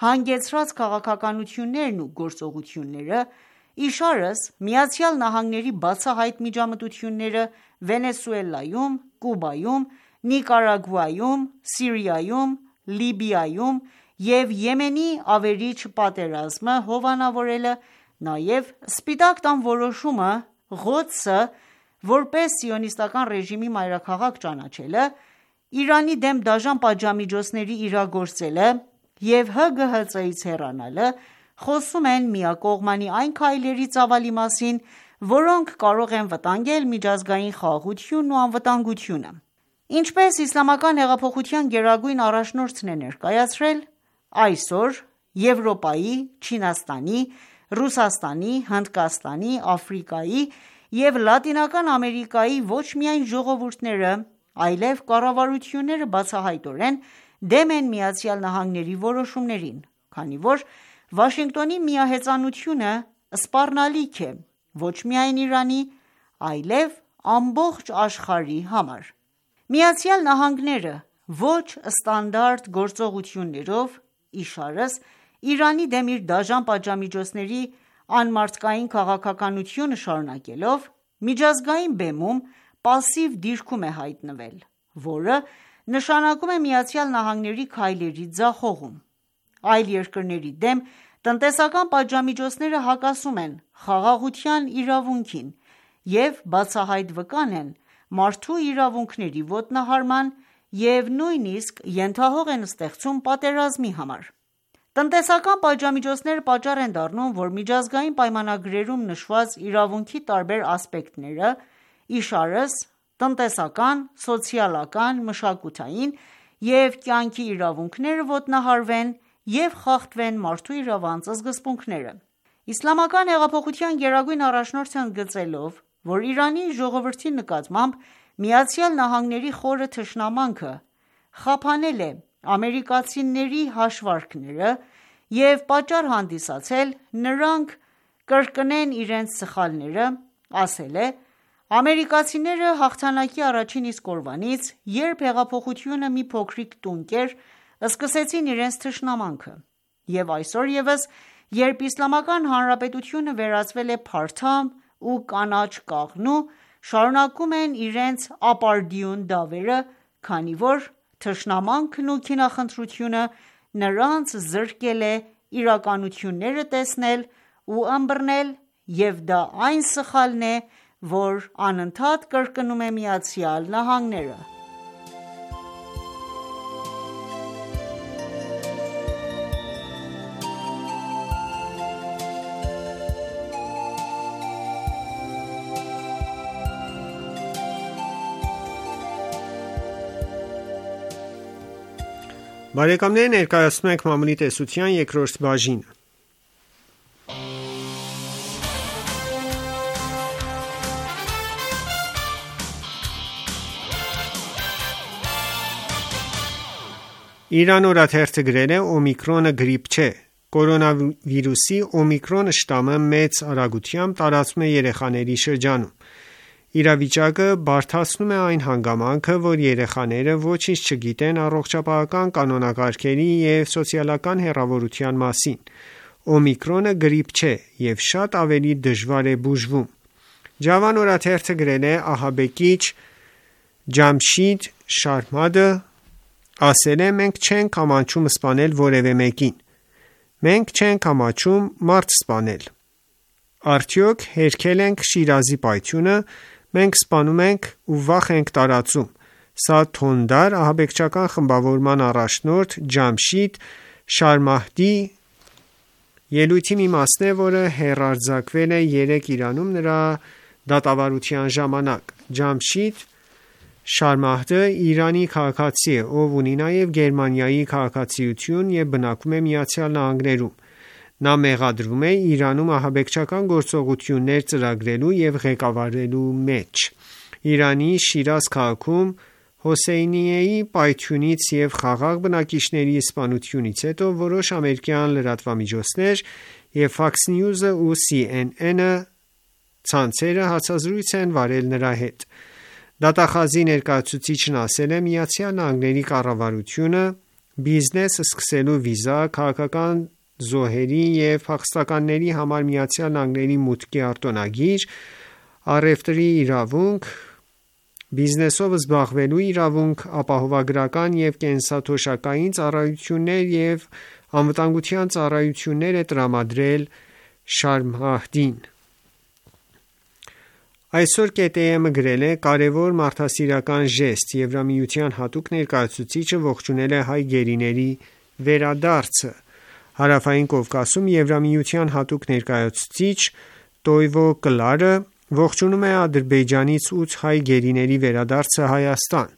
հանգեցրած քաղաքականություններն ու գործողությունները, իշարս Միացյալ Նահանգների բացահայտ միջամտությունները Վենեսուելայում, Կուբայում, Նիկարագուայում, Սիրիայում, Լիբիայում և Եմենի ավերիչ պատերազմը հովանավորելը, նաև Սպիտակ տան որոշումը Ղոդսը որպես սիոնիստական ռեժիմի մայրաքաղաք ճանաչելը, Իրանի դեմ դաժան պատժամիջոցների իրագործելը և Հ G H C-ից հեռանալը խոսում են միակողմանի այն քայլերի ծավալի մասին, որոնք կարող են վտանգել միջազգային խաղաղությունն ու անվտանգությունը։ Ինչպես Իսլամական հեղափոխության գերագույն առաջնորդն է ներկայացրել, այսօր Եվրոպայի, Չինաստանի, Ռուսաստանի, Հնդկաստանի, Աֆրիկայի և Լատինական Ամերիկայի ոչ միայն ժողովուրդները, այլև կառավարությունները բացահայտորեն դեմ են ԱՄՆ-ի որոշումներին, քանի որ Վաշինգտոնի միահեծանությունը սպառնալիք է ոչ միայն Իրանի, այլև ամբողջ աշխարհի համար։ ԱՄՆ-ը ոչ ստանդարտ գործողություններով, իշարս Իրանի դեմ իր դաժան պատժամիջոցների անմարդկային քաղաքականությունը շարունակելով, միջազգային բեմում պասիվ դիրքում է հայտնվել, որը նշանակում է ԱՄՆ-ի քայլերի ձախողում։ Այլ երկրների դեմ տնտեսական պատժամիջոցները հակասում են խաղաղության իրավունքին և բացահայտ վկան են մարդու իրավունքների ոտնահարման և նույնիսկ ենթահող են ստեղծում պատերազմի համար։ Տնտեսական պատժամիջոցները պատճառ են դառնում, որ միջազգային պայմանագրերում նշված իրավունքի տարբեր ասպեկտները, իշարս տնտեսական, սոցիալական, մշակութային և կյանքի իրավունքները ոտնահարվեն և խախտվեն մարդու իրավանց սկզբունքները։ Իսլամական հեղափոխության գերագույն առաջնորդը ընդգծելով, որ Իրանի ժողովրդի նկատմամբ ԱՄՆ-ի խորը թշնամանքը խափանել է ամերիկացիների հաշվարկները և պատճառ հանդիսացել նրանք կրկնեն իրենց սխալները, ասել է.«Ամերիկացիները հաղթանակի առաջին իսկ օրվանից, երբ հեղափոխությունը մի փոքրիկ տունկ էր, սկսեցին իրենց թշնամանքը, և այսօր ևս, երբ Իսլամական Հանրապետությունը վերածվել է փարթամ ու կանաչ կաղնու, շարունակում են իրենց ապարդյուն դավերը, քանի որ թշնամանքն ու քինախնդրությունը նրանց զրկել է իրականությունները տեսնել ու ըմբռնել, և դա այն սխալն է, որ անընդհատ կրկնում է ԱՄՆ-ը»։ Բարեկամներ, ներկայացնում ենք մամուլի տեսության երկրորդ բաժինը։ Իրան օրաթերթը գրել է «Օմիկրոնը գրիպ չէ»։ Կորոնավիրուսի օմիկրոն շտամը մեծ արագությամբ տարածվում է երեխաների շրջանում։ Իրավիճակը բարդացնում է այն հանգամանքը, որ երեխաները ոչինչ չգիտեն առողջապահական կանոնակարգերի և սոցիալական հեռավորության մասին։ Օմիկրոնը գրիպ չէ և շատ ավելի դժվար է բուժվում։ Ջավան օրաթերթը գրել է ահաբեկիչ Ջամշիդ Շարմադը ասել է. «Մենք չենք ամաչում սպանել որևէ մեկին։ Մենք չենք ամաչում մարդ սպանել։ Արդյոք հերքել ենք Շիրազի պայթյունը։ Մենք սպանում ենք ու վախ ենք տարածում»։ Սա Թոնդար ահաբեկչական խմբավորման առաջնորդ Ջամշիդ Շարմահդի ելույթի մի մասն է, որը հեռարձակվել է երեկ Իրանում նրա դատավարության ժամանակ։ Ջամշիդ Շարմահդը Իրանի քաղաքացի է, ով ունի նաև Գերմանիայի քաղաքացիություն և բնակվում է ԱՄՆ-ում։ Նա մեղադրվում է Իրանում ահաբեկչական գործողություններ ծրագրելու և ղեկավարելու մեջ։ Իրանի Շիրազ քաղաքում Հոսեյնիեի պայթյունից և խաղաղ բնակիչների սպանությունից հետո որոշ ամերիկյան լրատվամիջոցներ և Fox News-ը ու C N N ցանցերը հարցազրույց են վարել նրա հետ։ Դատախազի ներկայացուցիչն ասել է. Միացյալ Նահանգների կառավարությունը բիզնես սկսելու վիզա, քաղաքական զոհերի և փախստականների համար Միացյալ Նահանգների մուտքի արտոնագիր, առևտրի իրավունք, բիզնեսով զբաղվելու իրավունք, ապահովագրական և կենսաթոշակային ծառայություններ և անվտանգության ծառայություններ է տրամադրել Շարմ Այսօր K T M-ը գրել է. «Կարևոր մարդասիրական ժեստ, Եվրամիության հատուկ ներկայացուցիչը ողջունել է հայ գերիների վերադարձը»։ Հարավային Կովկասում Եվրամիության հատուկ ներկայացուցիչ Տոյվո Կլարը ողջունում է Ադրբեջանից ութ հայ գերիների վերադարձը Հայաստան։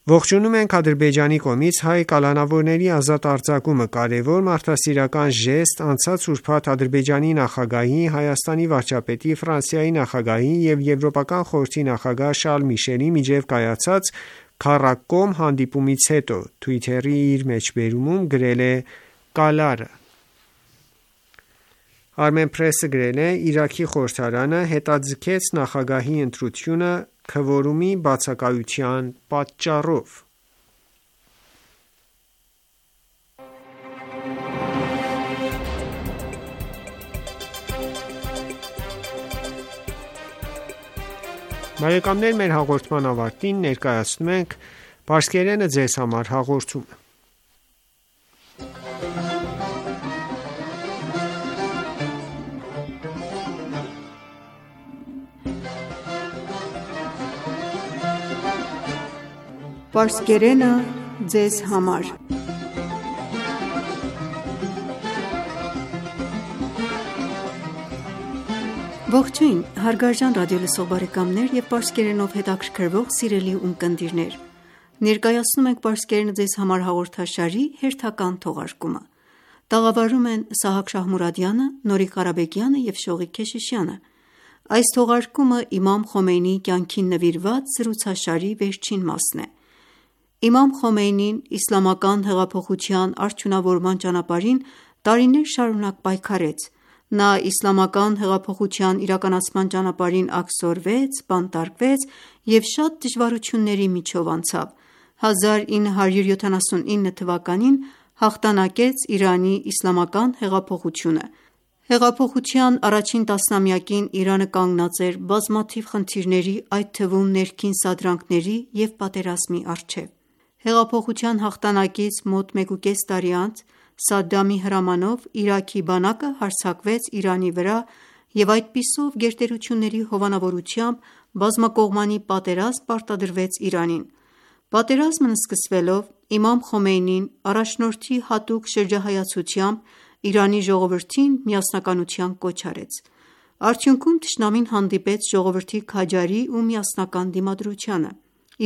Ողջունում ենք Ադրբեջանի կողմից հայ կալանավորների ազատ արձակումը։ Կարևոր մարդասիրական ժեստ անցած ուրբաթ Ադրբեջանի նախագահի, Հայաստանի վարչապետի, Ֆրանսիայի նախագահի և Եվրոպական խորհրդի նախագահ Շարլ Միշելի միջև կայացած քառակողմ հանդիպումից հետո, Twitter-ի իր մեջբերումում գրել է Կալարը։ Armenpress-ը գրել է. «Իրաքի խորհրդարանը հետաձգեց նախագահի ընտրությունը քվորումի բացակայության պատճառով»։ Բարեկամներ, մեր հաղորդման ավարտին ներկայացնում ենք «Պարսկերենը ձեզ համար» հաղորդումը։ Պարսկերենը ձեզ համար Ողջույն, հարգարժան ռադիոլսող բարեկամներ և պարսկերենով հետաքրքրվող սիրելի ունկնդիրներ: Ներկայացնում ենք «Պարսկերենը ձեզ համար» հաղորդաշարի հերթական թողարկումը: Տաղավարում են Սահակ Շահմուրադյանը, Նորիկ Ղարաբեկյանը և Շողիկ Քեշիշյանը: Այս թողարկումը իմամ Խոմեյնիի կյանքին նվիրված զրուցաշարի վերջին մասն է: Իմամ Խոմեյնին իսլամական հեղափոխության արդյունավորման ճանապարհին տարիներ շարունակ պայքարեց: Նա իսլամական հեղափոխության իրականացման ճանապարհին աքսորվեց, բանտարկվեց և շատ դժվարությունների միջով անցավ: հազար ինը հարյուր յոթանասունինը թվականին հաղթանակեց Իրանի իսլամական հեղափոխությունը: Հեղափոխության առաջին տասնամյակին Իրանը կանգնած էր բազմաթիվ խնդիրների, այդ թվում ներքին սադրանքների և պատերազմի առջև: Հեղափոխության հաղթանակից մոտ մեկուկես տարի անց Սադամի հրամանով Իրաքի բանակը հարձակվեց Իրանի վրա և այդպիսով գերտերությունների հովանավորությամբ բազմակողմանի պատերազմ պարտադրվեց Իրանին: Պատերազմն սկսվելով իմամ Խոմեյնին առաջնորդի հատուկ շրջահայացությամբ Իրանի ժողովրդին միասնականության կոչ արեց: Արդյունքում թշնամին հանդիպեց ժողովրդի քաջարի ու միասնական դիմադրությանը: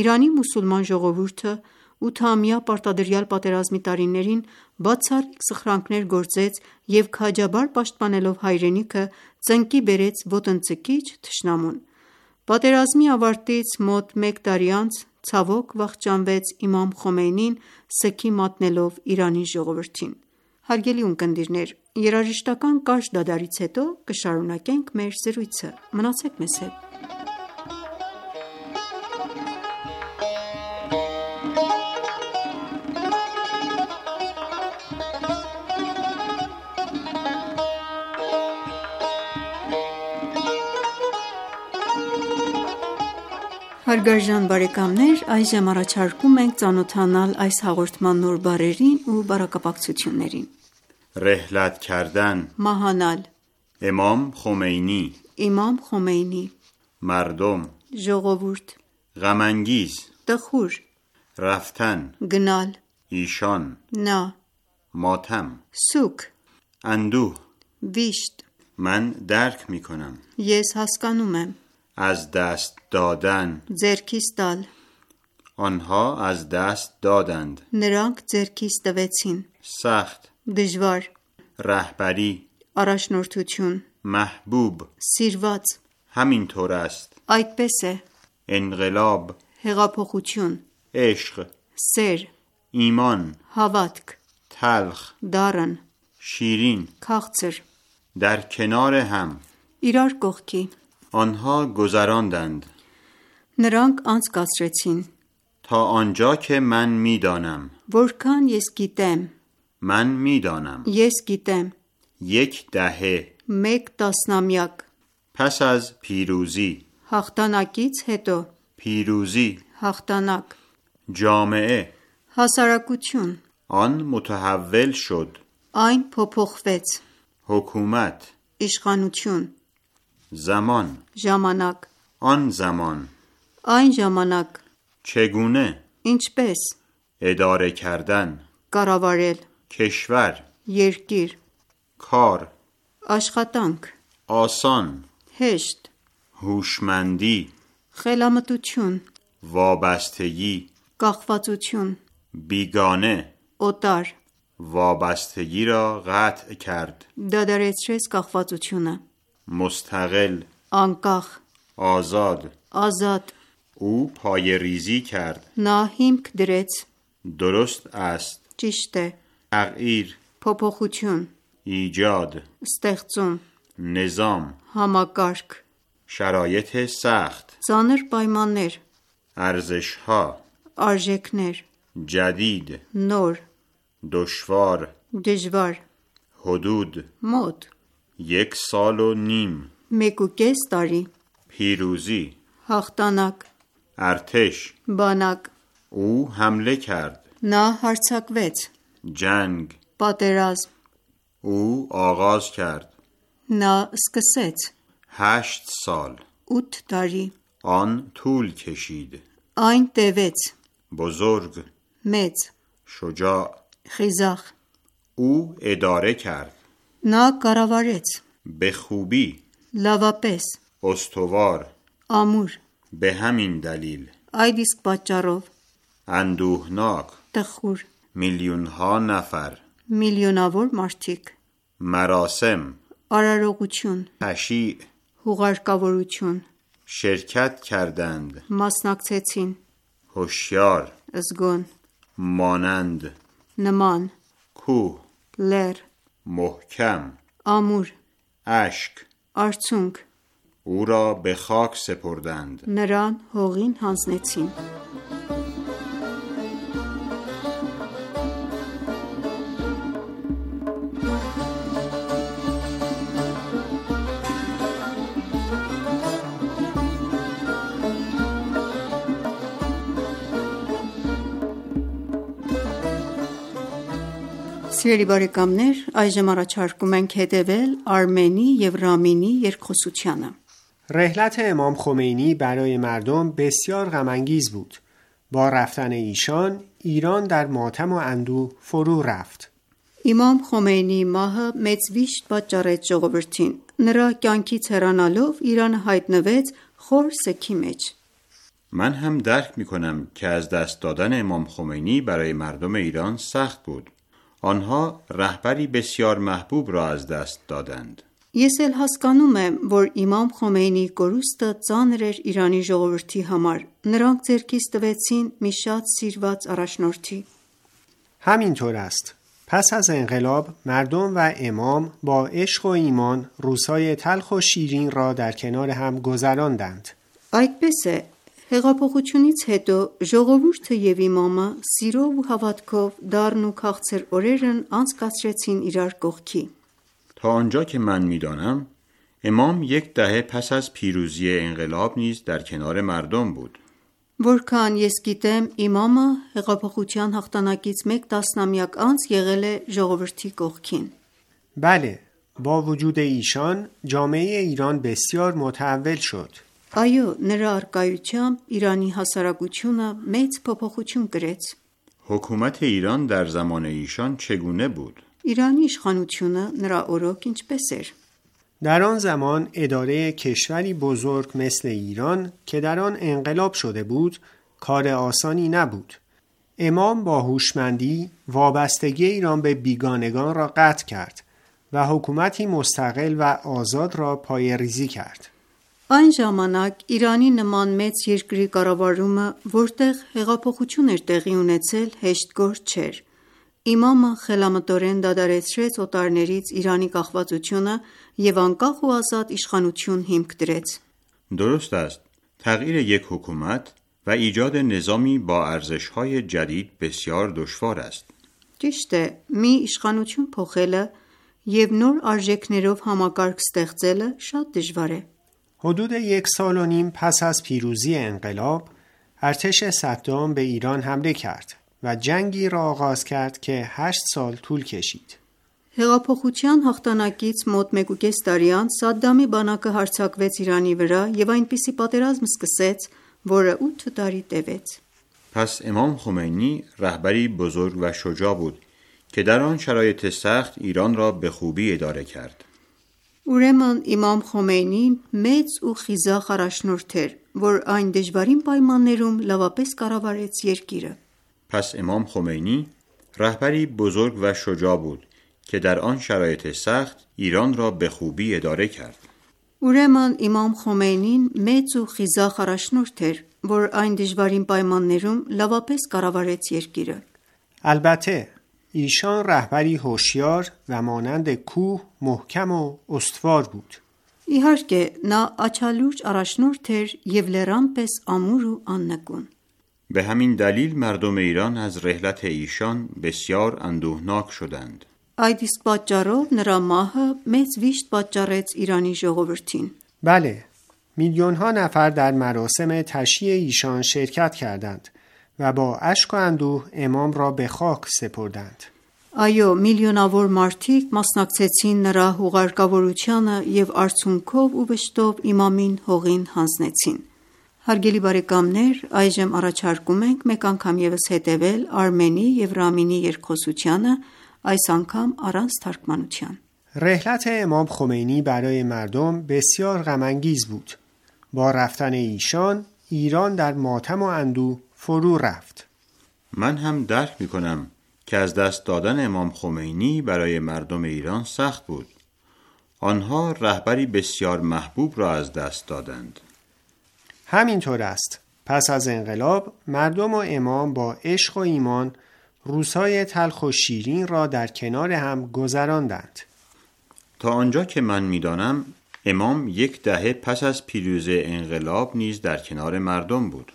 Իրանի մուսուլման ժողովուրդը ութամյա պարտադրյալ պատերազմի տարիներին բացառիկ սխրանքներ գործեց և քաջաբար պաշտպանելով հայրենիքը ծնկի բերեց ոտնձգիչ թշնամուն: Պատերազմի ավարտից մոտ մեկ տարի անց ցավոք վախճանվեց իմամ Խոմեյնին սգի մատնելով Իրանի ժողովրդին: Հարգելի ունկնդիրներ, երաժշտական կարճ դադարից հետո կշարունակենք մեր զրույցը: Մնացեք մեզ հետ: Հարգարժան բարեկամներ, այժմ առաջարկում ենք ծանոթանալ այս հաղորդման նոր բառերին ու բառակապակցություններին: Ռեհլաթ քարդան Մահանալ Իմամ Խոմեյնի Իմամ Խոմեյնի Մարդոմ Ժողովուրդ Ղամանգիզ Տխուր Ռաֆթան Գնալ Իշան Նա Մաթամ Սուք Անդուհ Վիշտ Ման դարք միքոնամ Ես հասկանում եմ Az dast dadan Ձեռքիս տալ Անհա az dast dadand Նրանք ձեռքիս տվեցին Sakht Դժվար Rahbari Առաջնորդություն Mahbub Սիրված Hamintor ast Այդպես է Enqilab Հեղափոխություն Ishq Սեր Iman Հավատք Talkh Դառն Shirin Քաղցր Dar kenar ham Իրար կողքի آنها گذراندند Նրանք անցկացրեցին. تا آنجا که من میدانم. Որքան ես գիտեմ. من میدانم. Ես գիտեմ. یک دهه. Մեկ տասնամյակ. پس از پیروزی. Հաղթանակից հետո. پیروزی. Հաղթանակ. جامعه. Հասարակություն. آن متحول شد. Այն փոփոխվեց. حکومت. Իշխանություն. زمان. Ժամանակ. آن زمان. Այն ժամանակ. چگونه. Ինչպես. اداره کردن. Կառավարել. کشور. Երկիր. کار. Աշխատանք. آسان. Հեշտ. هوشمندی. Խելամտություն. وابستگی. Կախվածություն. بیگانه. Օտար. وابستگی را قطع کرد. Դադարեցրեց կախվածությունը. مستقل. Անկախ. آزاد. Ազատ. او پایه‌ریزی کرد. Նա հիմք դրեց. درست است. Ճիշտ է. تغییر. Փոփոխություն. ایجاد. Ստեղծում. نظام. Համակարգ. شرایط سخت. Ծանր պայմաններ. ارزش‌ها. Արժեքներ. جدید. Նոր. دشوار. Դժվար. حدود. Մոտ. یک سال و نیم. Մեկ ու կես տարի. پیروزی. Հաղթանակ. ارتش. Բանակ. او حمله کرد. Նա հարձակվեց. جنگ. Պատերազմ. او آغاز کرد. Նա սկսեց. هشت سال. ութ տարի. آن طول کشید. Այն տևեց. بزرگ. Մեծ. شجاع. Խիզախ. او اداره کرد. Նա կառավարեց. به خوبی. Լավապես. استوار. Ամուր. به همین دلیل. Այդ իսկ պատճառով. اندوهناک. Տխուր. میلیون ها نفر. Միլիոնավոր մարդիկ. مراسم. Արարողություն. تشییع. Հուղարկավորություն. شرکت کردند. Մասնակցեցին. هوشیار. Զգոն. مانند. Նման. کوه. Լեր. محکم. Ամուր. اشک. Արցունք. او را به خاک سپردند. Նրան հողին հանձնեցին. Սիրելի բարեկամներ, այժմ առաջարկում ենք հետևել Արմենի և Ռամինի երկխոսությանը. رحلت امام خمینی برای مردم بسیار غم‌انگیز بود. با رفتن ایشان ایران در ماتم و اندوه فرو رفت. Իմամ Խոմեյնիի մահը մեծ վիշտ պատճառեց ժողովրդին. Նրա կյանքից հեռանալով Իրանը հայտնվեց խոր սգի մեջ. من هم درک می کنم که از دست دادن امام خمینی برای مردم ایران سخت بود. آنها رهبری بسیار محبوب را از دست دادند. Ես էլ հասկանում եմ, որ Իմամ Խոմեյնիի կորուստը ծանր էր Իրանի ժողովրդի համար. Նրանք ձեռքից տվեցին մի շատ սիրված առաջնորդի. همینطور است. پس از انقلاب مردم و امام با عشق و ایمان روزهای تلخ و شیرین را در کنار هم گذراندند. Այդպես է, հեղափոխությունից հետո ժողովուրդը և իմամը սիրով ու հավատքով դառն ու քաղցր օրերն անցկացրեցին իրար կողքի. تا آنجا که من می‌دانم امام یک دهه پس از پیروزی انقلاب نیز در کنار مردم بود. Որքան ես գիտեմ, իմամը հեղափոխության հաղթանակից մեկ տասնամյակ անց եղել է ժողովրդի կողքին. بله، با وجود ایشان جامعه ایران بسیار متحول شد. Այո, նրա առկայությամբ Իրանի հասարակությունը մեծ փոփոխություն կրեց. حکومت ایران در زمان ایشان چگونه بود؟ Իրանի իշխանությունը նրա օրոք ինչպես էր. در آن زمان اداره کشوری بزرگ مثل ایران که در آن انقلاب شده بود کار آسانی نبود. امام با هوشمندی وابستگی ایران به بیگانگان را قطع کرد و حکومتی مستقل و آزاد را پایه‌ریزی کرد. Այն ժամանակ Իրանի նման մեծ երկրի կառավարումը, որտեղ հեղափոխություն էր տեղի ունեցել, հեշտ գործ չէր. Իմամը խելամտորեն դադարեցրեց օտարներից Իրանի կախվածությունը և անկախ ու ազատ իշխանություն հիմք դրեց. درست است. تغییر یک حکومت و ایجاد نظامی با ارزش‌های جدید بسیار دشوار است. Ճիշտ է, մի իշխանություն փոխելը և նոր արժեքներով համակարգ ստեղծելը շատ դժվար է։ حدود یک سال و نیم پس از پیروزی انقلاب ارتش صدام به ایران حمله کرد و جنگی را آغاز کرد که هشت سال طول کشید. Հեղափոխության հաղթանակից մոտ մեկուկես տարի անց Սադդամի բանակը հարձակվեց Իրանի վրա և այնպիսի պատերազմ սկսեց, որը ութ տարի տևեց։ پس امام خمینی رهبری بزرگ و شجاع بود که در آن شرایط سخت ایران را به خوبی اداره کرد. Ուրեմն Իմամ Խոմեյնին մեծ ու խիզախ առաջնորդ էր, որ այն դժվարին պայմաններում լավապես կառավարեց երկիրը։ پس امام خمینی رهبری بزرگ و شجاع بود که در آن شرایط سخت ایران را به خوبی اداره کرد. Ուրեմն Իմամ Խոմեյնին մեծ ու խիզախ առաջնորդ էր, որ այն դժվարին պայմաններում լավապես կառավարեց երկիրը։ البته ایشان رهبری هوشیار و مانند کوه محکم و استوار بود. Իհարկե, նա աչալուրջ առաջնորդ էր և լեռան պես ամուր ու աննկուն։ به همین دلیل مردم ایران از رحلت ایشان بسیار اندوهناک شدند. Այդ իսկ պատճառով նրա մահը մեծ վիշտ պատճառեց Իրանի ժողովրդին։ بله، میلیون ها نفر در مراسم تشییع ایشان شرکت کردند و با اشک و اندوه امام را به خاک سپردند. Այո, միլիոնավոր մարդիկ մասնակցեցին նրա հուղարկավորությանը և արցունքով ու վշտով իմամին հողին հանձնեցին։ Հարգելի բարեկամներ, այժմ առաջարկում ենք մեկ անգամ ևս հետևել Արմենի և Ռամինի երկխոսությանը, այս անգամ առանց թարգմանության։ رحلت امام خمینی برای مردم بسیار غم‌انگیز بود. با رفتن ایشان ایران در ماتم و اندوه فرو رفت. من هم درک می کنم که از دست دادن امام خمینی برای مردم ایران سخت بود. آنها رهبری بسیار محبوب را از دست دادند. همینطور است. پس از انقلاب مردم و امام با عشق و ایمان روزهای تلخ و شیرین را در کنار هم گذراندند. تا آنجا که من می‌دانم امام یک دهه پس از پیروزی انقلاب نیز در کنار مردم بود.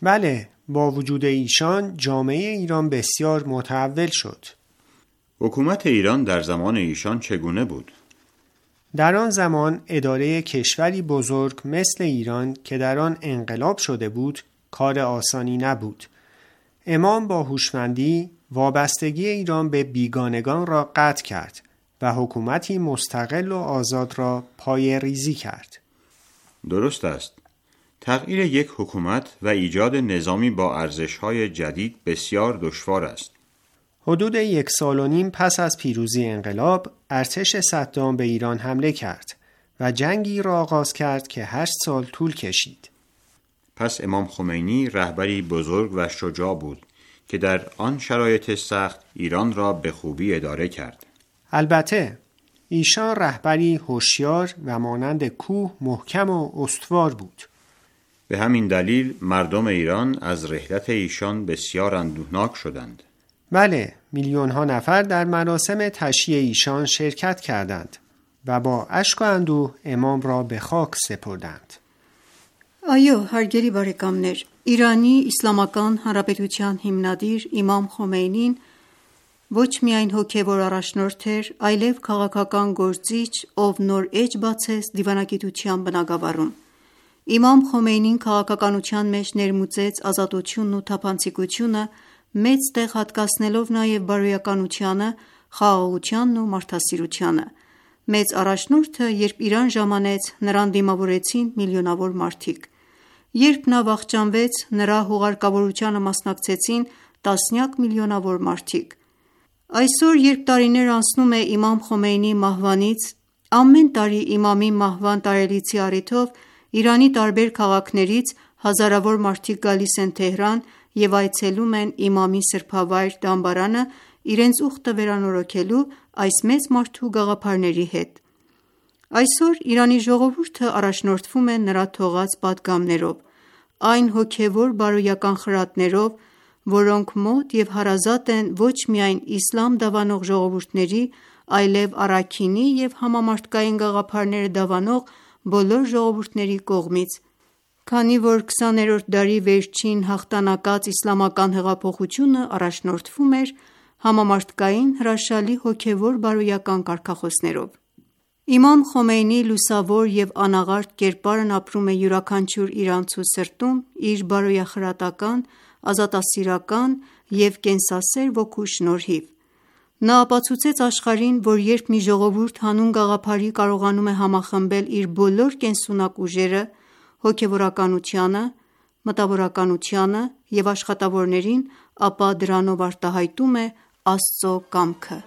بله، با وجود ایشان جامعه ایران بسیار متحول شد. حکومت ایران در زمان ایشان چگونه بود؟ در آن زمان اداره کشوری بزرگ مثل ایران که در آن انقلاب شده بود کار آسانی نبود. امام با هوشمندی وابستگی ایران به بیگانگان را قطع کرد و حکومتی مستقل و آزاد را پایه‌ریزی کرد. درست است. تغییر یک حکومت و ایجاد نظامی با ارزش‌های جدید بسیار دشوار است. حدود یک سال و نیم پس از پیروزی انقلاب ارتش صدام به ایران حمله کرد و جنگی را آغاز کرد که هشت سال طول کشید. پس امام خمینی رهبری بزرگ و شجاع بود که در آن شرایط سخت ایران را به خوبی اداره کرد. البته ایشان رهبری هوشیار و مانند کوه محکم و استوار بود. به همین دلیل مردم ایران از رحلت ایشان بسیار اندوهناک شدند. بله، میلیون ها نفر در مراسم تشییع ایشان شرکت کردند و با اشک و اندوه امام را به خاک سپردند. Այո, հարգելի բարեկամներ, Իրանի Իսլամական Հանրապետության հիմնադիր Իմամ Խոմեյնին ոչ միայն հոգևոր առաջնորդ էր, այլև քաղաքական գործիչ, ով նոր էջ բացեց դիվանագիտության բնագավառում։ Իմամ Խոմեյնին քաղաքականության մեջ ներմուծեց ազատությունն ու թափանցիկությունը, մեծ տեղ հատկացնելով նաև բարոյականությանը, խաղաղությանն ու մարդասիրությանը։ Մեծ առաջնորդը, երբ Իրան ժամանեց, նրան դիմավորեցին միլիոնավոր մարդիկ։ Երբ նա վախճանվեց, նրա հուղարկավորությանը մասնակցեցին տասնյակ միլիոնավոր մարդիկ։ Այսօր, երբ տարիներ անցնում է Իմամ Խոմեյնիի մահվանից, ամեն տարի իմամի մահվան տարելիցի առիթով Իրանի տարբեր քաղաքներից հազարավոր մարդիկ գալիս են Թեհրան և այցելում են իմամի սրբավայր դամբարանը իրենց ուխտը վերանորոգելու այս մեծ մարդու գաղափարների հետ։ Այսօր Իրանի ժողովուրդը առաջնորդվում է նրա թողած պատգամներով, այն հոգևոր բարոյական խրատներով, որոնք մոտ և հարազատ են ոչ միայն իսլամ դավանող ժողովուրդների, այլև առաքինի և համամարտկային գաղափարները դավանող բոլոր ժողովուրդների կողմից, Քանի որ քսաներորդ դարի վերջին հաղթանակած իսլամական հեղափոխությունը առաջնորդվում էր համամարտկային հրաշալի հոգևոր բարոյական կարգախոսներով։ Իմամ Խոմեյնիի լուսավոր և անաղարտ կերպարն ապրում է յուրաքանչյուր իրանցու սրտում իր բարոյախրատական, ազատասիրական և կենսասեր ոգու շնորհիվ։ Նա ապացուցեց աշխարհին, որ երբ մի ժողովուրդ հանուն գաղափարի կարողանում է համախմբել իր բոլոր կենսունակ ուժերը հոգևորականությանը, մտավորականությանը և աշխատավորներին, ապա դրանով արտահայտում է Աստծո կամքը։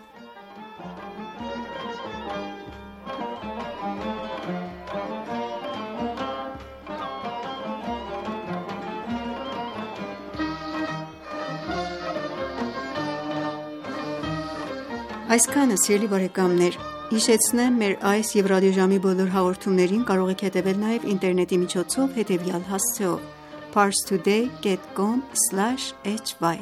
Այսքանը սիրելի բարեկամներ, հիշեցնեմ մեր այս և ռադիոժամի բոլոր հաղորդումներին կարող եք հետևել նաև ինտերնետի միջոցով հետևյալ հասցեով՝ parstoday dot com slash h y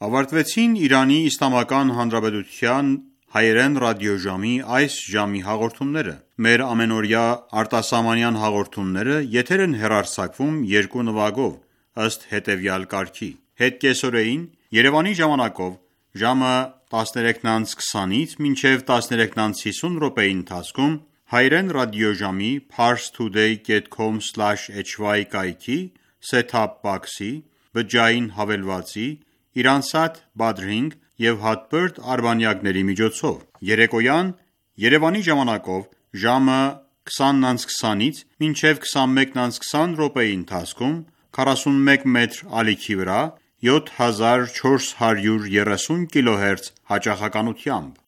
Ավարտվեցին Իրանի Իսլամական Հանրապետության հայերեն ռադիոժամի այս ժամի հաղորդումները։ Մեր ամենօրյա արտասահմանյան հաղորդումները եթեր են հեռարձակվում երկու նվագով, ըստ հետևյալ կարգի. Հետկեսօրեին Երևանի ժամանակով ժամը տասներեքն անց քսանից մինչև տասներեքն անց հիսուն րոպեի ընթացքում հայերեն ռադիոժամի parstoday dot com slash h y կայքի set-top box-ի, բջջային հավելվածի, Իրանսատ Badrink և հատբերդ արբանյակների միջոցով։ Երեկոյան Երևանի ժամանակով ժամը քսանն անց քսանից մինչև քսանմեկն անց քսան րոպեի ընթացքում քառասունմեկ մետր ալիքի վրա յոթ հազար չորս հարյուր երեսուն կիլոհերց հաճախականությամբ։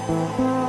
Thank you.